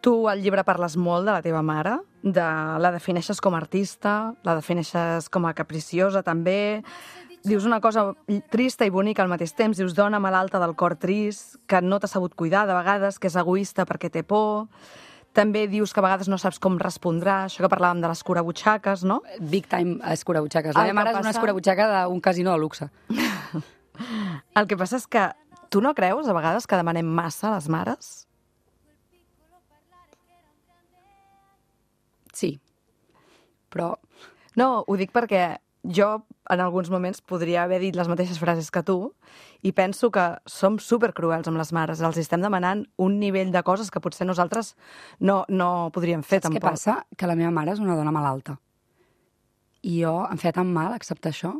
Tu al llibre parles molt de la teva mare, de, la defineixes com a artista, la defineixes com a capriciosa també, dius una cosa trista i bonica al mateix temps, dius dona malalta del cor trist, que no t'ha sabut cuidar de vegades, que és egoista perquè té por, també dius que a vegades no saps com respondrà, això que parlàvem de les curabutxaques, no? Big time escurabutxaques. La El meva mare que és una passa- escurabutxaca d'un casino de luxe. El que passa és que tu no creus a vegades que demanem massa a les mares? Sí, però No, ho dic perquè jo en alguns moments podria haver dit les mateixes frases que tu i penso que som supercruels amb les mares. Els estem demanant un nivell de coses que potser nosaltres no, no podríem fer, saps tampoc. què passa? Que la meva mare és una dona malalta. I jo em feia tan mal acceptar això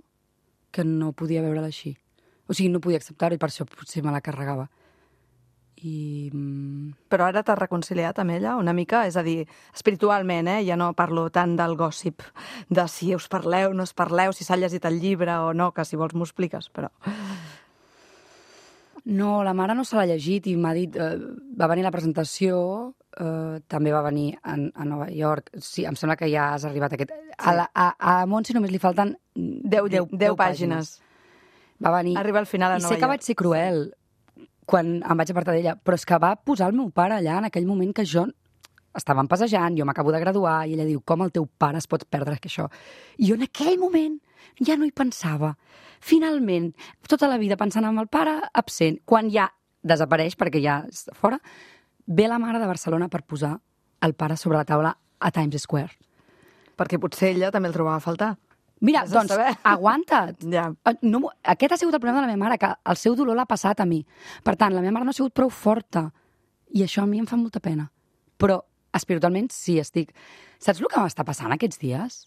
que no podia veure-la així. O sigui, no podia acceptar-ho i per això potser me la carregava. I... mm, Però ara t'has reconciliat amb ella una mica? És a dir, espiritualment, eh? Ja no parlo tant del gossip, de si us parleu, no us parleu, si s'ha llegit el llibre o no, que si vols m'ho expliques, però... No, la mare no se l'ha llegit i m'ha dit... Eh, va venir a la presentació, eh, també va venir a, a Nova York. Sí, em sembla que ja has arribat a aquest... A, la, a, a Montse només li falten Deu, deu, deu pàgines. Va venir... Arriba al final a I Nova sé que York. vaig ser cruel quan em vaig apartar d'ella, però és que va posar el meu pare allà en aquell moment que jo estàvem passejant, jo m'acabo de graduar, i ella diu, com el teu pare es pot perdre que això? I jo en aquell moment ja no hi pensava. Finalment, tota la vida pensant en el pare absent, quan ja desapareix, perquè ja és fora, ve la mare de Barcelona per posar el pare sobre la taula a Times Square. Perquè potser ella també el trobava a faltar. Mira, Vés a doncs, saber. aguanta't. Ja. No, m'ho- aquest ha sigut el problema de la meva mare, que el seu dolor l'ha passat a mi. Per tant, la meva mare no ha sigut prou forta. I això a mi em fa molta pena. Però espiritualment sí estic... Saps el que m'està passant aquests dies?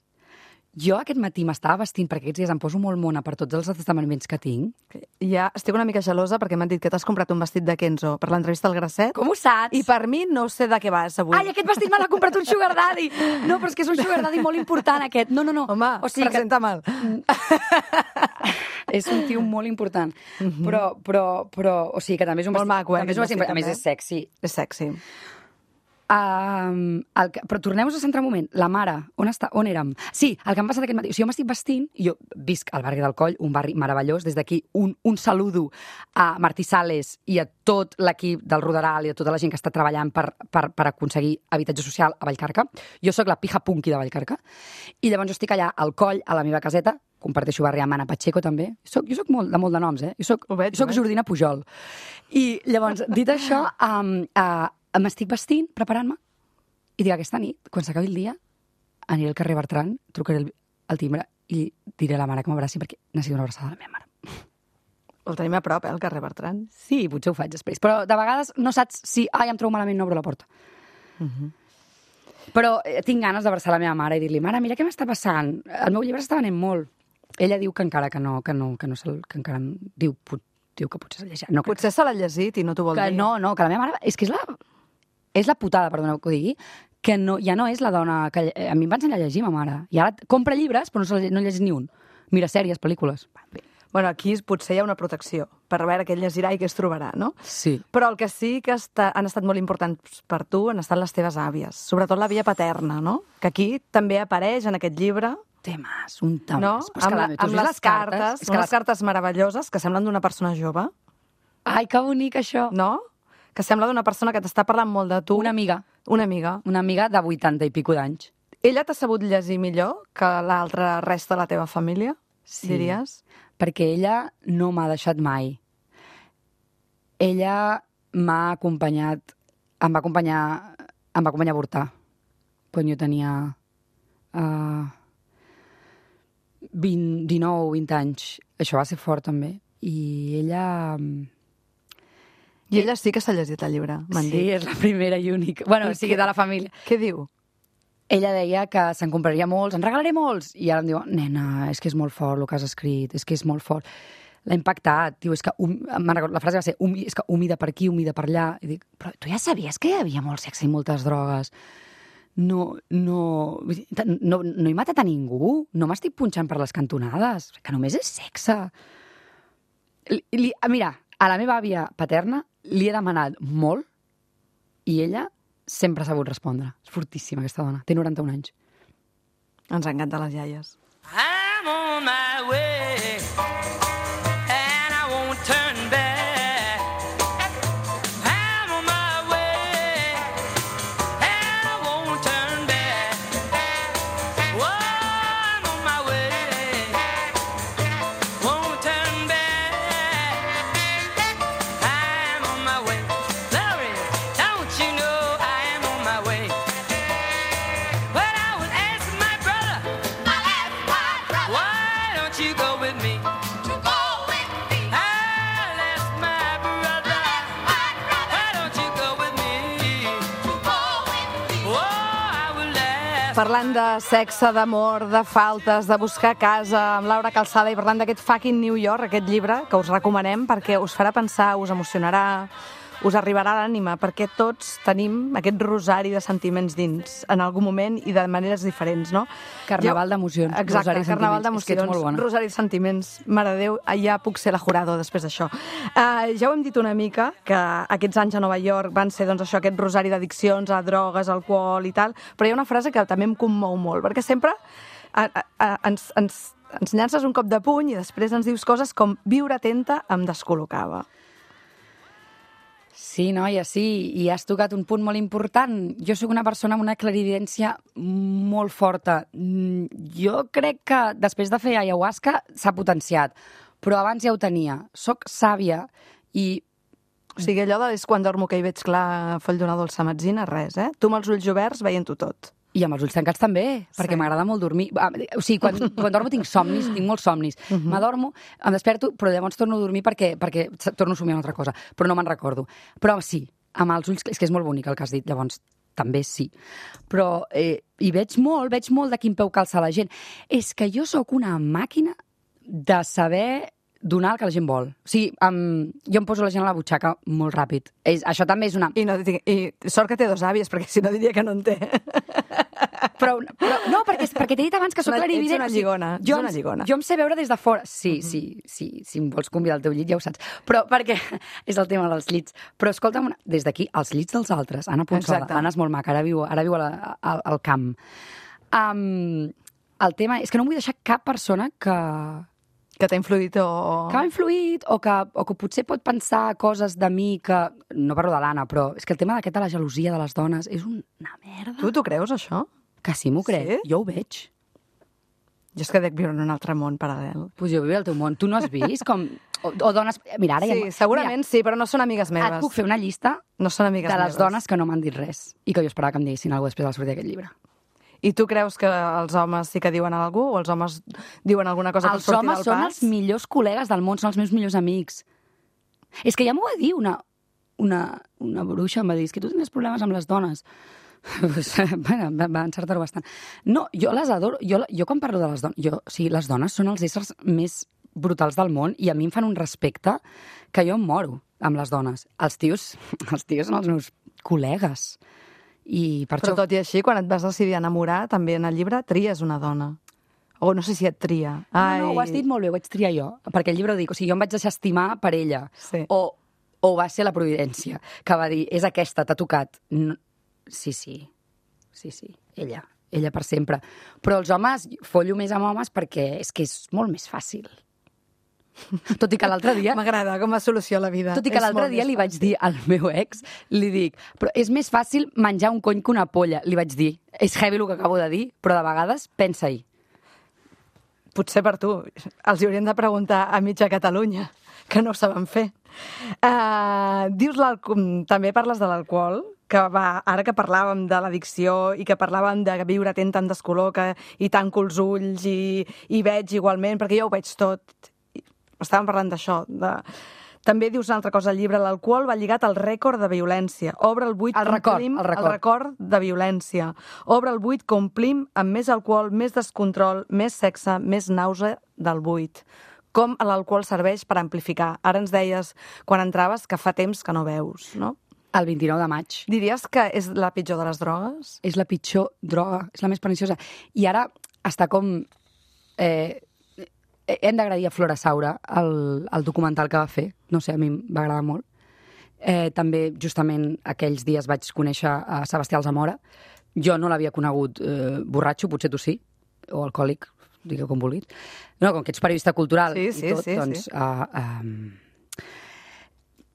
Jo aquest matí m'estava vestint, perquè aquests dies em poso molt mona per tots els esdeveniments que tinc. Ja estic una mica gelosa perquè m'han dit que t'has comprat un vestit de Kenzo per l'entrevista al Grasset. Com ho saps? I per mi no sé de què vas avui. Ai, aquest vestit me l'ha comprat un sugar daddy! No, però és que és un sugar daddy molt important, aquest. No, no, no. Home, o sigui que... presenta mal. És un tio molt important. Però, però, però, o sigui que també és un Molt vestit... maco, eh, també és un aquest vestit, a més vestit, és sexy. És sexy. Um, el que, però tornem-nos a centrar un moment. La mare, on està? On érem? Sí, el que em passa aquest matí. O sigui, jo m'estic vestint, i jo visc al barri del Coll, un barri meravellós. Des d'aquí un, un saludo a Martí Sales i a tot l'equip del Roderal i a tota la gent que està treballant per, per, per aconseguir habitatge social a Vallcarca. Jo sóc la pija punky de Vallcarca. I llavors jo estic allà al Coll, a la meva caseta, comparteixo barri amb Anna Pacheco també. Soc, jo soc molt, de molt de noms, eh? Jo soc, Ho veig, jo soc ho veig. Jordina Pujol. I llavors, dit això, um, uh, m'estic vestint, preparant-me, i dic, aquesta nit, quan s'acabi el dia, aniré al carrer Bertran, trucaré el, el timbre i diré a la mare que m'abraci perquè necessito una abraçada de la meva mare. El tenim a prop, eh, el carrer Bertran. Sí, potser ho faig després. Però de vegades no saps si, ai, em trobo malament, no obro la porta. Però eh, tinc ganes d'abraçar la meva mare i dir-li, mare, mira què m'està passant. El meu llibre s'està venent molt. Ella diu que encara que no, que no, que no se'l, que encara diu, pot, diu que potser s'ha llegit. No, Potser se l'ha llegit i no t'ho vol que dir. no, no, que la meva mare... És que és la, és la putada, perdoneu que ho digui, que no, ja no és la dona que... A mi em va ensenyar a llegir, ma mare. I ara compra llibres, però no, se, no llegeix ni un. Mira sèries, pel·lícules. Bueno, aquí potser hi ha una protecció per veure què llegirà i què es trobarà, no? Sí. Però el que sí que està, han estat molt importants per tu han estat les teves àvies, sobretot la via paterna, no? Que aquí també apareix en aquest llibre... Temes, un temes. No? Però és Amb, que la, la, tu amb has vist les cartes, és que unes les... cartes meravelloses que semblen d'una persona jove, Ai, que bonic, això. no? Que sembla d'una persona que t'està parlant molt de tu. Una amiga. Una amiga. Una amiga de vuitanta i pico d'anys. Ella t'ha sabut llegir millor que l'altra resta de la teva família, Sí. diries? Perquè ella no m'ha deixat mai. Ella m'ha acompanyat, em va acompanyar, em va acompanyar a avortar, quan jo tenia uh, vint, dinou, vint anys. Això va ser fort, també. I ella... I ella sí que s'ha llegit el llibre, m'han Sí, dit. és la primera i única. Bueno, I o sigui, què- de la família. Què diu? Ella deia que se'n compraria molts, en regalaré molts, i ara em diu, nena, és que és molt fort el que has escrit, és que és molt fort. L'ha impactat, diu, és que, um, me'n recordo, la frase va ser, um, és que humida per aquí, humida per allà. I dic, però tu ja sabies que hi havia molt sexe i moltes drogues? No, no, no, no he matat a ningú, no m'estic punxant per les cantonades, que només és sexe. Li, li, mira, a la meva àvia paterna li he demanat molt i ella sempre ha sabut respondre. És fortíssima, aquesta dona. Té noranta-un anys. Ens encanten les iaies. I'm on my way, and I won't turn back. I'm on my way, and I won't turn back. Oh, I'm on my way, won't turn back. I'm on my way. Larry, don't you know I am on my way? But I was asking my brother, why don't you go with me? To go with me. I'll ask my brother, why don't you go with me? To go with me. Oh, I will ask. Parlant de sexe, d'amor, de faltes, de buscar casa amb Laura Calçada i parlant d'aquest fucking New York, aquest llibre que us recomanem perquè us farà pensar, us emocionarà, us arribarà a l'ànima, perquè tots tenim aquest rosari de sentiments dins en algun moment i de maneres diferents, no? Carnaval Jo- d'emocions, Exacte, rosari de carnaval sentiments. És que ets d'emocions, molt bona. rosari de sentiments. Mare de Déu, ja puc ser la jurado després d'això. Uh, ja ho hem dit una mica, que aquests anys a Nova York van ser doncs, això, aquest rosari d'addiccions a drogues, alcohol i tal, però hi ha una frase que també em commou molt, perquè sempre a, a, a, ens, ens, ens llances un cop de puny i després ens dius coses com viure atenta em descol·locava. Sí, noia, sí, i has tocat un punt molt important. Jo sóc una persona amb una clarividència molt forta. Mm, Jo crec que després de fer ayahuasca s'ha potenciat, però abans ja ho tenia. Soc sàvia i O sigui, allò de és quan dormo que hi veig clar foll d'una dolça metzina, res, eh? Tu amb els ulls oberts veient-ho tot. I amb els ulls tancats també, perquè Sí. m'agrada molt dormir. Ah, O sigui, quan, quan dormo tinc somnis, tinc molts somnis. M'adormo, em desperto, però llavors torno a dormir perquè, perquè torno a somiar una altra cosa, però no me'n recordo. Però sí, amb els ulls... És que és molt bonic el que has dit, llavors també sí. Però eh, hi veig molt, veig molt de quin peu calça la gent. És que jo sóc una màquina de saber donar el que la gent vol. O sigui, um, jo em poso la gent a la butxaca molt ràpid. És, això també és una... I, no, I sort que té dos àvies, perquè si no diria que no en té. Però, però no, perquè, perquè t'he dit abans que sóc Una- clarivident. ets una o sigui, lligona, ets jo, una em- lligona. Jo em sé veure des de fora. Sí, sí, sí, si em vols convidar al teu llit ja ho saps. Però perquè és el tema dels llits. Però escolta'm, una- des d'aquí, els llits dels altres. Anna Ponsola, Exacte. Anna és molt maca, ara viu, ara viu a la, al, al camp. Um, el tema és que no vull deixar cap persona que, Que t'ha influït o... que m'ha influït o que, o que potser pot pensar coses de mi que... No parlo de l'Anna, però és que el tema d'aquest de la gelosia de les dones és una merda. Tu t'ho creus, això? Que sí, m'ho crec. Sí? Jo ho veig. Jo és que dec viure en un altre món paral·lel. Pues jo viu al teu món. Tu no has vist com... O, o dones... Mira, ara Sí, ja... segurament sí, però no són amigues Mira, meves. et puc fer una llista No són amigues de les meves. dones que no m'han dit res i que jo esperava que em diguessin alguna cosa després de la sortida d'aquest llibre. I tu creus que els homes sí que diuen alguna cosa? O els homes diuen alguna cosa per Els sortir homes del són pas? els millors col·legues del món, són els meus millors amics. És que ja m'ho va dir una, una, una bruixa, em va dir, és que tu tens problemes amb les dones. Pues, bueno, va, va encertar-ho bastant. No, jo les adoro. Jo, jo quan parlo de les dones... Jo, o sigui, les dones són els éssers més brutals del món i a mi em fan un respecte que jo em moro amb les dones. Els tios, els tios són els meus col·legues. I per Però això... tot i així, quan et vas decidir enamorar, també en el llibre tries una dona. O no sé si et tria. Ai. No, no, ho has dit molt bé, ho vaig triar jo, perquè el llibre ho dic, o sigui, jo em vaig deixar estimar per ella. Sí. O, o va ser la providència, que va dir, és aquesta, t'ha tocat. No... Sí, sí, sí, sí, ella, ella per sempre. Però els homes, follo més amb homes perquè és que és molt més fàcil. Tot i que l'altre dia... M'agrada com a solució a la vida. Tot i que És l'altre molt dia més li vaig fàcil. dir al meu ex, li dic, però és més fàcil menjar un cony que una polla, li vaig dir. És heavy el que acabo de dir, però de vegades pensa-hi. Potser per tu. Els hi hauríem de preguntar a mitja Catalunya, que no ho saben fer. Uh, dius l'alcohol... També parles de l'alcohol, que va, ara que parlàvem de l'addicció i que parlàvem de viure atent tant descolor que hi tanco els ulls i, i veig igualment, perquè jo ho veig tot. Estàvem parlant d'això, de... També dius una altra cosa al llibre, l'alcohol va lligat al rècord de violència. Obre el buit, El record, complim el record. el record de violència. Obre el buit, complim amb més alcohol, més descontrol, més sexe, més nàusea del buit. Com l'alcohol serveix per amplificar. Ara ens deies, quan entraves, que fa temps que no veus, no? El vint-i-nou de maig. Diries que és la pitjor de les drogues? És la pitjor droga, és la més perniciosa. I ara està com... Eh, hem d'agrair a Flora Saura el, el documental que va fer. No sé, a mi va agradar molt. Eh, també, justament, aquells dies vaig conèixer a Sebastià Alzamora. Jo no l'havia conegut eh, borratxo, potser tu sí, o alcohòlic, digueu com vulguis. No, com que ets periodista cultural Sí, sí, i tot, sí, doncs... sí. Uh, um,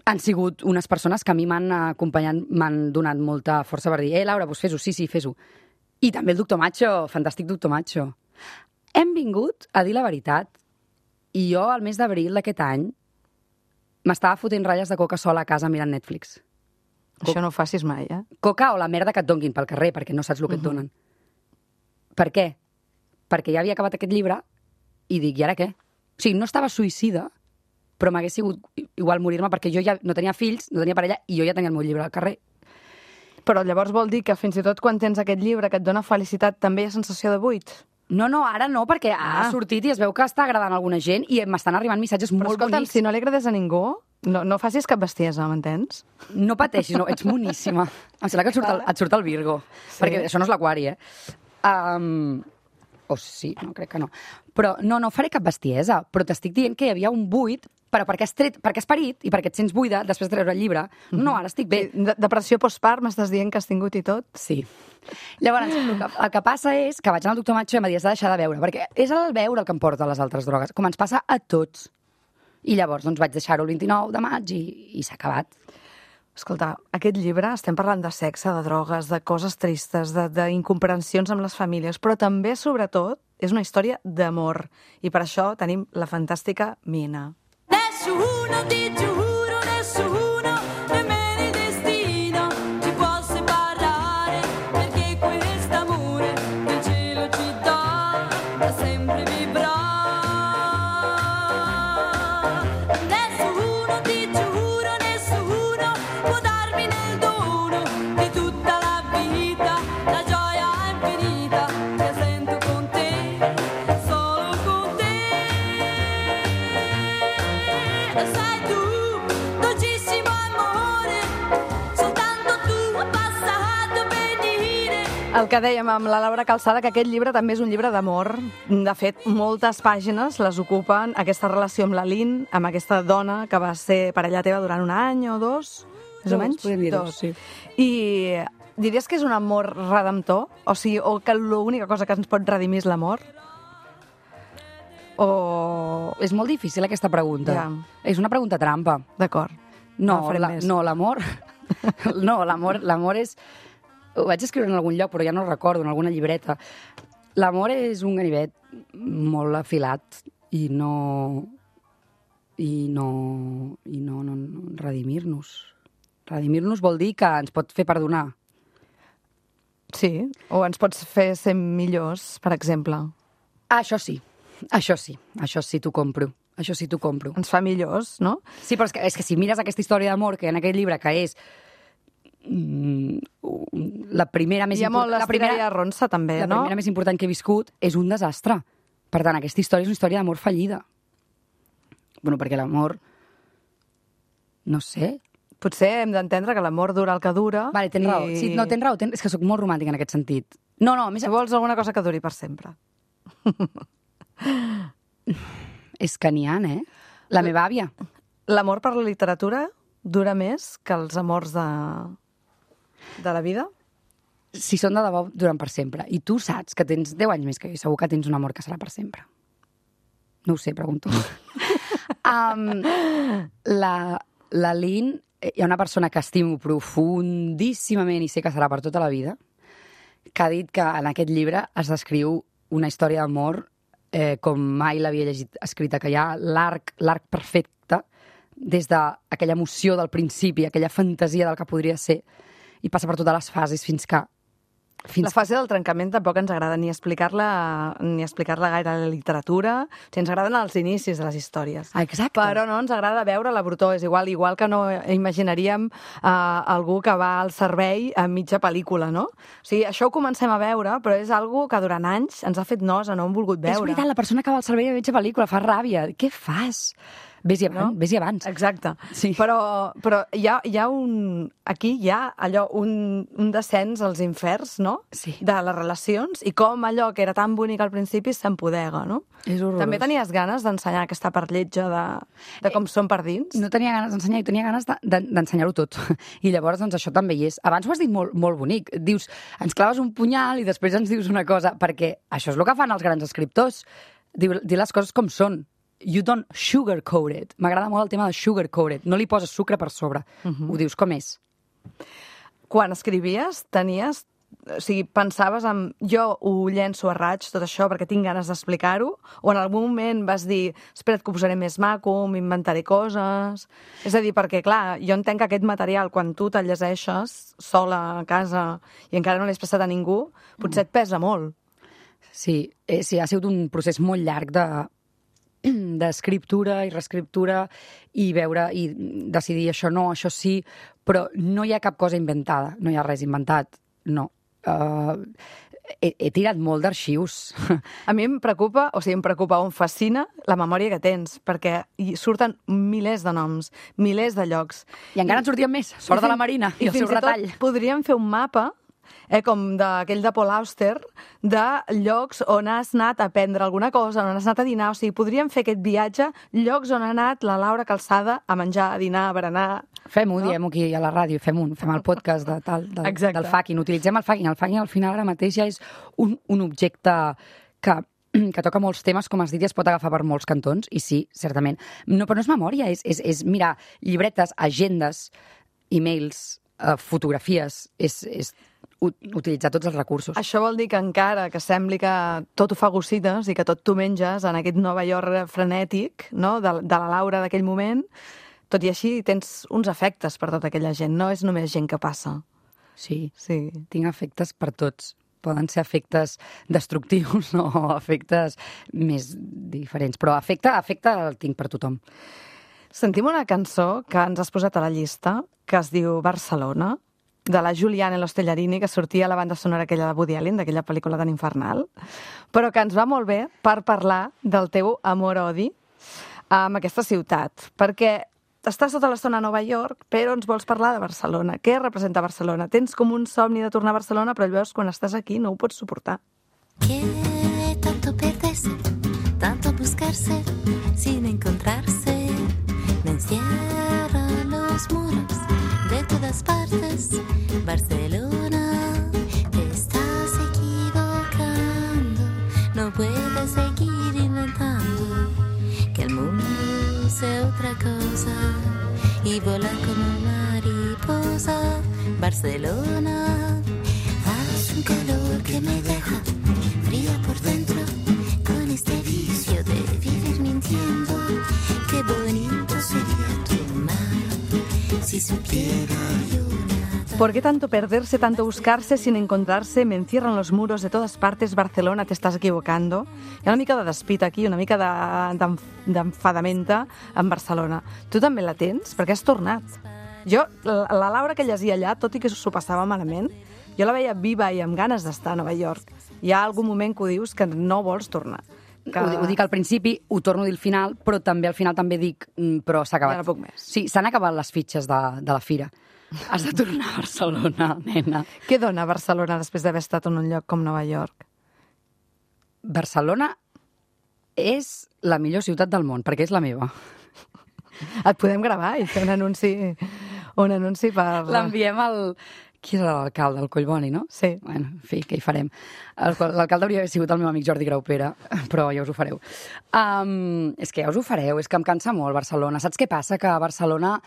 han sigut unes persones que a mi m'han acompanyat, m'han donat molta força per dir eh, Laura, doncs fes-ho, sí, sí, fes-ho. I també el doctor Macho, fantàstic doctor Macho. Hem vingut a dir la veritat i jo, al mes d'abril d'aquest any, m'estava fotent ratlles de coca sola a casa mirant Netflix. Això no ho facis mai, eh? Coca o la merda que et donguin pel carrer, perquè no saps el que et donen. Per què? Perquè ja havia acabat aquest llibre i dic, i ara què? O sigui, no estava suïcida, però m'hagués sigut igual morir-me perquè jo ja no tenia fills, no tenia parella i jo ja tenia el meu llibre al carrer. Però llavors vol dir que fins i tot quan tens aquest llibre que et dona felicitat també hi ha sensació de buit? No, no, ara no, perquè ah. ha sortit i es veu que està agradant a alguna gent i m'estan arribant missatges Però molt escolta'm, bonics. si no li agradés a ningú, no, no facis cap bestiesa, m'entens? No pateixis, no, ets moníssima. Em sembla que et surt el, et surt el Virgo, Sí. perquè això no és l'Aquari, eh? Um, o sí, no, crec que no. Però no, no faré cap bestiesa, però t'estic dient que hi havia un buit, però perquè has, tret, perquè has parit i perquè et sents buida després de treure el llibre. No, ara estic bé. De depressió postpart, m'estàs dient que has tingut i tot? Sí. Llavors, el que, el que passa és que vaig anar al doctor Macho i em va dir, has de deixar de beure, perquè és el beure el que em porta a les altres drogues, com ens passa a tots. I llavors doncs, vaig deixar-ho el vint-i-nou de maig i, i s'ha acabat. Escolta, aquest llibre, estem parlant de sexe, de drogues, de coses tristes, d'incomprensions amb les famílies, però també, sobretot, és una història d'amor. I per això tenim la fantàstica Mina. Nessuno, ti giuro, nessuno, nemmeno il destino ci può separare, perché quest'amore che il cielo ci dà da sempre vivrà. Nessuno, ti giuro, nessuno può darmi nel dono di tutta la vita la gioia infinita che sento con te, solo con te. Lo sai tu, dolcissimo amore, soltanto tu hai passato per dire. El que dèiem amb la Laura Calçada, que aquest llibre també és un llibre d'amor. De fet, moltes pàgines les ocupen aquesta relació amb la Lynn, amb aquesta dona que va ser parella teva durant un any o dos, més o Dos, menys? podem dir dos, Dos. sí. I diries que és un amor redemptor? O sigui, o que l'única cosa que ens pot redimir és l'amor? O... És molt difícil aquesta pregunta. Ja. És una pregunta trampa. D'acord. No, No farem la, més. no l'amor... no, l'amor l'amor és... Ho vaig escriure en algun lloc, però ja no ho recordo, en alguna llibreta. L'amor és un ganivet molt afilat i no... i no... i no, no, no redimir-nos. Redimir-nos vol dir que ens pot fer perdonar. Sí, o ens pots fer ser millors, per exemple. Ah, això sí, això sí, això sí t'ho compro. Això sí t'ho compro. Ens fa millors, no? Sí, però és que, és que si mires aquesta història d'amor que hi ha en aquest llibre, que és mm, la primera més Hi ha molt la estira i arronsa, també, la no? primera més important que he viscut, és un desastre. Per tant, aquesta història és una història d'amor fallida. Bueno, perquè l'amor... No sé. Potser hem d'entendre que l'amor dura el que dura. Vale, tens i... raó. Sí, no, tens raó. Ten... És que sóc molt romàntica en aquest sentit. No, no, a més... Si vols alguna cosa que duri per sempre. És que n'hi ha, eh? La meva àvia. L'amor per la literatura dura més que els amors de, de la vida? Si són de debò, duren per sempre. I tu saps que tens deu anys més que jo i segur que tens un amor que serà per sempre. No ho sé, pregunto. um, la, la Lynn, hi ha una persona que estimo profundíssimament i sé que serà per tota la vida, que ha dit que en aquest llibre es descriu una història d'amor eh, com mai l'havia llegit escrita, que hi ha l'arc l'arc perfecte des d'aquella emoció del principi, aquella fantasia del que podria ser, i passa per totes les fases fins que... Fins La fase del trencament tampoc ens agrada ni explicar-la ni explicar-la gaire a la literatura. O sigui, ens agraden els inicis de les històries. Ah, exacte. Però no ens agrada veure la brutor. És igual, igual que no imaginaríem uh, algú que va al servei a mitja pel·lícula, no? O sigui, això ho comencem a veure, però és algo que durant anys ens ha fet nosa, no hem volgut veure. És veritat, la persona que va al servei a mitja pel·lícula fa ràbia. Què fas? Vés-hi abans, No? vés-hi abans. Exacte. Sí. Però, però hi, ha, hi ha un... Aquí hi ha allò, un, un descens als inferns, no? Sí. De les relacions i com allò que era tan bonic al principi s'empodega, no? És horrorós. També tenies ganes d'ensenyar aquesta part lletja de, de com són per dins? No tenia ganes d'ensenyar, tenia ganes de- de- d'ensenyar-ho tot. I llavors, doncs, això també hi és. Abans ho has dit molt, molt bonic. Dius, ens claves un punyal i després ens dius una cosa, perquè això és el que fan els grans escriptors. Diu, dir les coses com són. You don't sugarcoat it. M'agrada molt el tema de sugarcoat it. No li poses sucre per sobre. Uh-huh. Ho dius com és. Quan escrivies, tenies... O sigui, pensaves en... Jo ho llenço a raig, tot això, perquè tinc ganes d'explicar-ho? O en algun moment vas dir, espera't que ho posaré més maco, m'inventaré coses... És a dir, perquè, clar, jo entenc que aquest material, quan tu te'l llegeixes sola a casa i encara no l'has passat a ningú, potser et pesa molt. Sí, eh, sí, ha sigut un procés molt llarg de d'escriptura i reescriptura i veure i decidir això no, això sí, però no hi ha cap cosa inventada, no hi ha res inventat, no. Uh, he, he tirat molt d'arxius. A mi em preocupa, o sigui, em preocupa o em fascina la memòria que tens, perquè hi surten milers de noms, milers de llocs. I encara en sortien més, sort de la Marina i, I el seu fins i retall. tot podríem fer un mapa, eh, com d'aquell de Paul Auster, de llocs on has anat a aprendre alguna cosa, on has anat a dinar. O sigui, podríem fer aquest viatge, llocs on ha anat la Laura Calçada a menjar, a dinar, a berenar... Fem-ho, No? no? Diem-ho aquí a la ràdio, fem un, fem el podcast de, tal, del, Exacte. del fucking. Utilitzem el fucking. El fucking al final ara mateix ja és un, un objecte que, que toca molts temes, com has dit, i es pot agafar per molts cantons, i sí, certament. No, però no és memòria, és, és, és mirar llibretes, agendes, e-mails, eh, fotografies, és, és u- utilitzar tots els recursos. Això vol dir que encara que sembli que tot ho fa gossites i que tot tu menges en aquest Nova York frenètic, no?, de, de la Laura d'aquell moment, tot i així tens uns efectes per tota aquella gent, no és només gent que passa. Sí, Sí. tinc efectes per tots. Poden ser efectes destructius o efectes més diferents, però efecte, efecte el tinc per tothom. Sentim una cançó que ens has posat a la llista, que es diu Barcelona, de la Juliana Lostellarini, que sortia a la banda sonora aquella de Woody Allen, d'aquella pel·lícula tan infernal, però que ens va molt bé per parlar del teu amor-odi amb aquesta ciutat, perquè estàs tota l'estona a Nova York, però ens vols parlar de Barcelona. Què representa Barcelona? Tens com un somni de tornar a Barcelona, però llavors quan estàs aquí no ho pots suportar. Que tanto perderse, tanto buscarse, sin encontrarse. Me encierran los muros de todas partes. Barcelona, te estás equivocando. No puedes seguir inventando que el mundo sea otra cosa y volar como mariposa. Barcelona, hace un calor que me deja fría por dentro, con este vicio de vivir mintiendo. Qué bonito sería tu mar si supiera yo nada. ¿Por qué tanto perderse, tanto buscarse sin encontrarse? Me encierran los muros de todas partes. Barcelona, te estàs equivocando. Hi ha una mica de despit aquí, una mica de- d'enf- d'enfadamenta en Barcelona. Tu també la tens? Perquè has tornat. Jo, la, la Laura que llegia allà, tot i que s'ho passava malament, jo la veia viva i amb ganes d'estar a Nova York. Hi ha algun moment que ho dius que no vols tornar. Que... Ho, ho dic al principi, ho torno a dir al final, però també al final també dic, mm, però s'ha acabat. Ja no puc més. Sí, s'han acabat les fitxes de, de la fira. Has de tornar a Barcelona, nena. Què dona Barcelona després d'haver estat en un lloc com Nova York? Barcelona és la millor ciutat del món, perquè és la meva. Et podem gravar i fer un anunci, un anunci per... L'enviem al... Qui és l'alcalde? El Collboni, no? Sí. Bueno, en fi, què hi farem? El- L'alcalde hauria d'haver sigut el meu amic Jordi Graupera, però ja us ho fareu. Um, és que ja us ho fareu, és que em cansa molt Barcelona. Saps què passa? Que a Barcelona...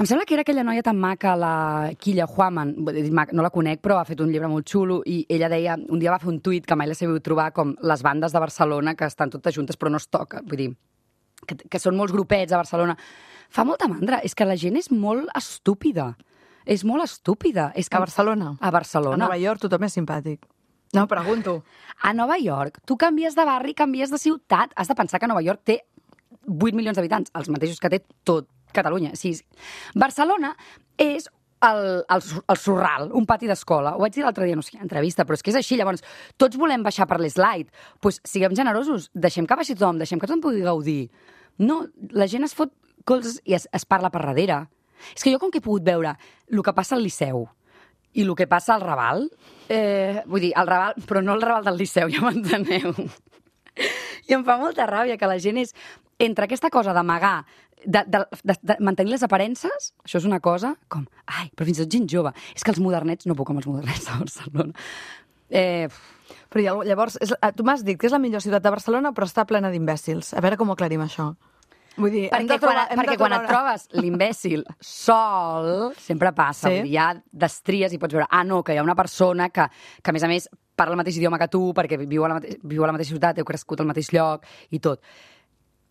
Em sembla que era aquella noia tan maca, la Quilla Huaman, no la conec, però ha fet un llibre molt xulo, i ella deia, un dia va fer un tuit que mai l'he sabut trobar, com les bandes de Barcelona que estan totes juntes però no es toca, vull dir, que, que són molts grupets a Barcelona. Fa molta mandra, és que la gent és molt estúpida. És molt estúpida. És que... A Barcelona? A Barcelona. A Nova York tothom és simpàtic. No, pregunto. A Nova York, tu canvies de barri, canvies de ciutat. Has de pensar que Nova York té vuit milions d'habitants, els mateixos que té tot Catalunya. Sí. Barcelona és el, el, el Sorral, un pati d'escola. Ho vaig dir l'altre dia, no sé, entrevista, però és que és així. Llavors, tots volem baixar per l'slide. Doncs pues, siguem generosos, deixem que baixi tothom, deixem que tothom pugui gaudir. No, la gent es fot cols i es, es parla per darrere. És que jo, com que he pogut veure el que passa al Liceu i el que passa al Raval, eh, vull dir, al Raval, però no el Raval del Liceu, ja m'enteneu. I em fa molta ràbia que la gent és entre aquesta cosa d'amagar, de, de, de, de mantenir les aparences, això és una cosa com, ai, però fins i tot gent jove. És que els modernets, no puc amb els modernets de Barcelona. Eh, Però llavors, és, tu m'has dit que és la millor ciutat de Barcelona, però està plena d'imbècils. A veure com ho aclarim, això. Vull dir, hem perquè de trobar, quan, hem perquè de quan trobar et trobes l'imbècil sol, sempre passa. Sí. Vull dir, hi ha destries i pots veure, ah, no, que hi ha una persona que, que a més a més, parla el mateix idioma que tu, perquè viu a la, mate viu a la mateixa ciutat, heu crescut al mateix lloc i tot.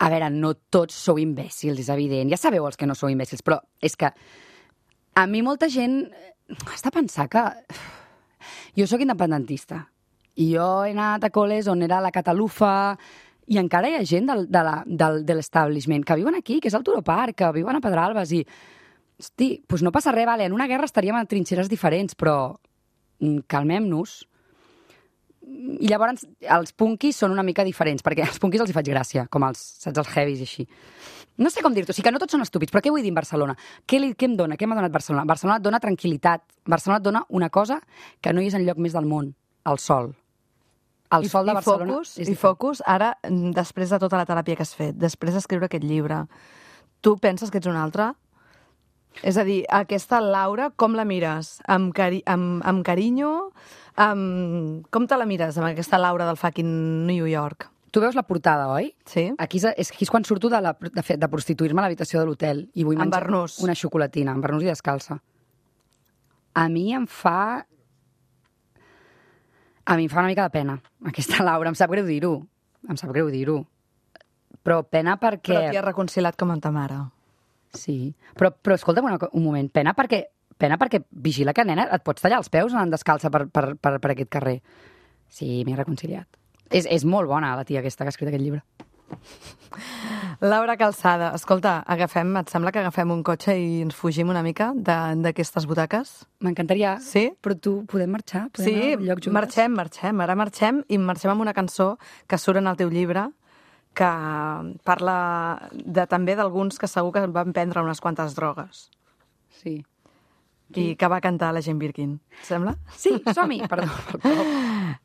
A veure, no tots sou imbècils, és evident. Ja sabeu els que no sou imbècils, però és que a mi molta gent has de pensar que... Jo sóc independentista i jo he anat a col·les on era la Catalufa i encara hi ha gent del, de la, del, de l'establishment que viuen aquí, que és al Turó Park, que viuen a Pedralbes i... Hosti, doncs no passa res, vale, en una guerra estaríem a trinxeres diferents, però calmem-nos. I llavors els punkis són una mica diferents, perquè als punkis els hi faig gràcia, com els, saps, els heavies i així. No sé com dir-t'ho, o sigui que no tots són estúpids, però què vull dir en Barcelona? Què, li, què em dona? Què m'ha donat Barcelona? Barcelona et dona tranquil·litat. Barcelona et dona una cosa que no hi és enlloc més del món, el sol. El sol de Barcelona... Focus, I focus, ara, després de tota la teràpia que has fet, després d'escriure aquest llibre, tu penses que ets un altre? És a dir, aquesta Laura, com la mires? Amb, cari amb, amb carinyo? Amb... Com te la mires, amb aquesta Laura del fucking New York? Tu veus la portada, oi? Sí. Aquí és, és, aquí és quan surto de, la, de, fet, de prostituir-me a l'habitació de l'hotel i vull menjar Barnús. Una xocolatina, amb barnús i descalça. A mi em fa... A mi em fa una mica de pena, aquesta Laura. Em sap greu dir-ho. Em sap greu dir-ho. Però pena perquè... Però t'hi has reconciliat com amb ta mare. Sí. Però, però escolta'm una, un moment. Pena perquè, pena perquè vigila que, nena, et pots tallar els peus anant descalça per, per, per, per aquest carrer. Sí, m'he reconciliat. És, és molt bona, la tia aquesta que ha escrit aquest llibre. Laura Calçada, escolta, agafem, et sembla que agafem un cotxe i ens fugim una mica d'aquestes butaques? M'encantaria, sí? Però tu podem marxar? Podem sí, anar a un lloc juntes? marxem, marxem. Ara marxem i marxem amb una cançó que surt en el teu llibre que parla de, també d'alguns que segur que van prendre unes quantes drogues. Sí. I que va cantar la Jane Birkin. Et sembla? Sí, som-hi, perdó.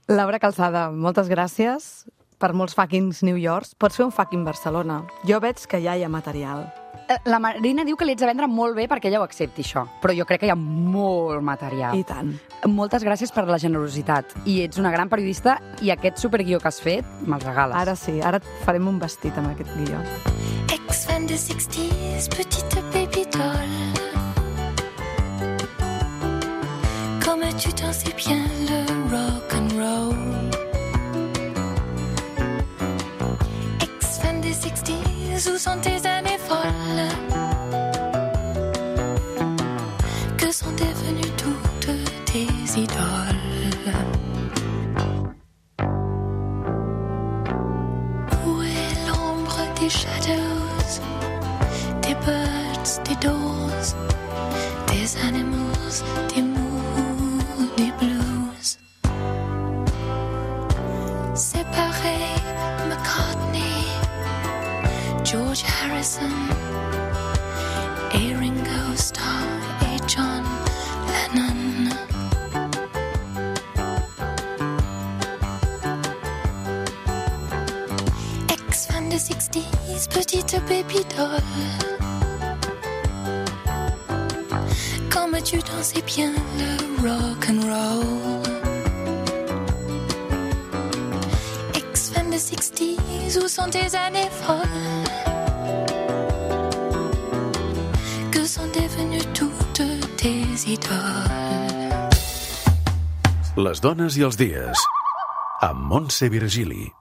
Laura Calçada, moltes gràcies per molts fucking New Yorks. Pots fer un fucking Barcelona. Jo veig que ja hi ha material. La Marina diu que li ets a vendre molt bé perquè ella ho accepti, això. Però jo crec que hi ha molt material. I tant. Moltes gràcies per la generositat. I ets una gran periodista i aquest superguió que has fet me'l regales. Ara sí, ara et farem un vestit amb aquest guió. Ex-fan de sixties, petite baby doll. Comme tu t'en sais bien le rock and roll. Ex-fan des sixties, où sont tes années folles? Que sont devenues toutes tes idoles? Où est l'ombre des shadows, des birds, des doors, des animals, des moody blues? Séparés George Harrison, a Ringo Starr, a John Lennon. Ex-fan des sixties, petite baby doll. Comme tu dansais bien le rock and roll. Ex-fan des sixties, où sont tes années folles? Que sont devenues toutes tes idoles? Les dones i els dies, amb Montse Virgili.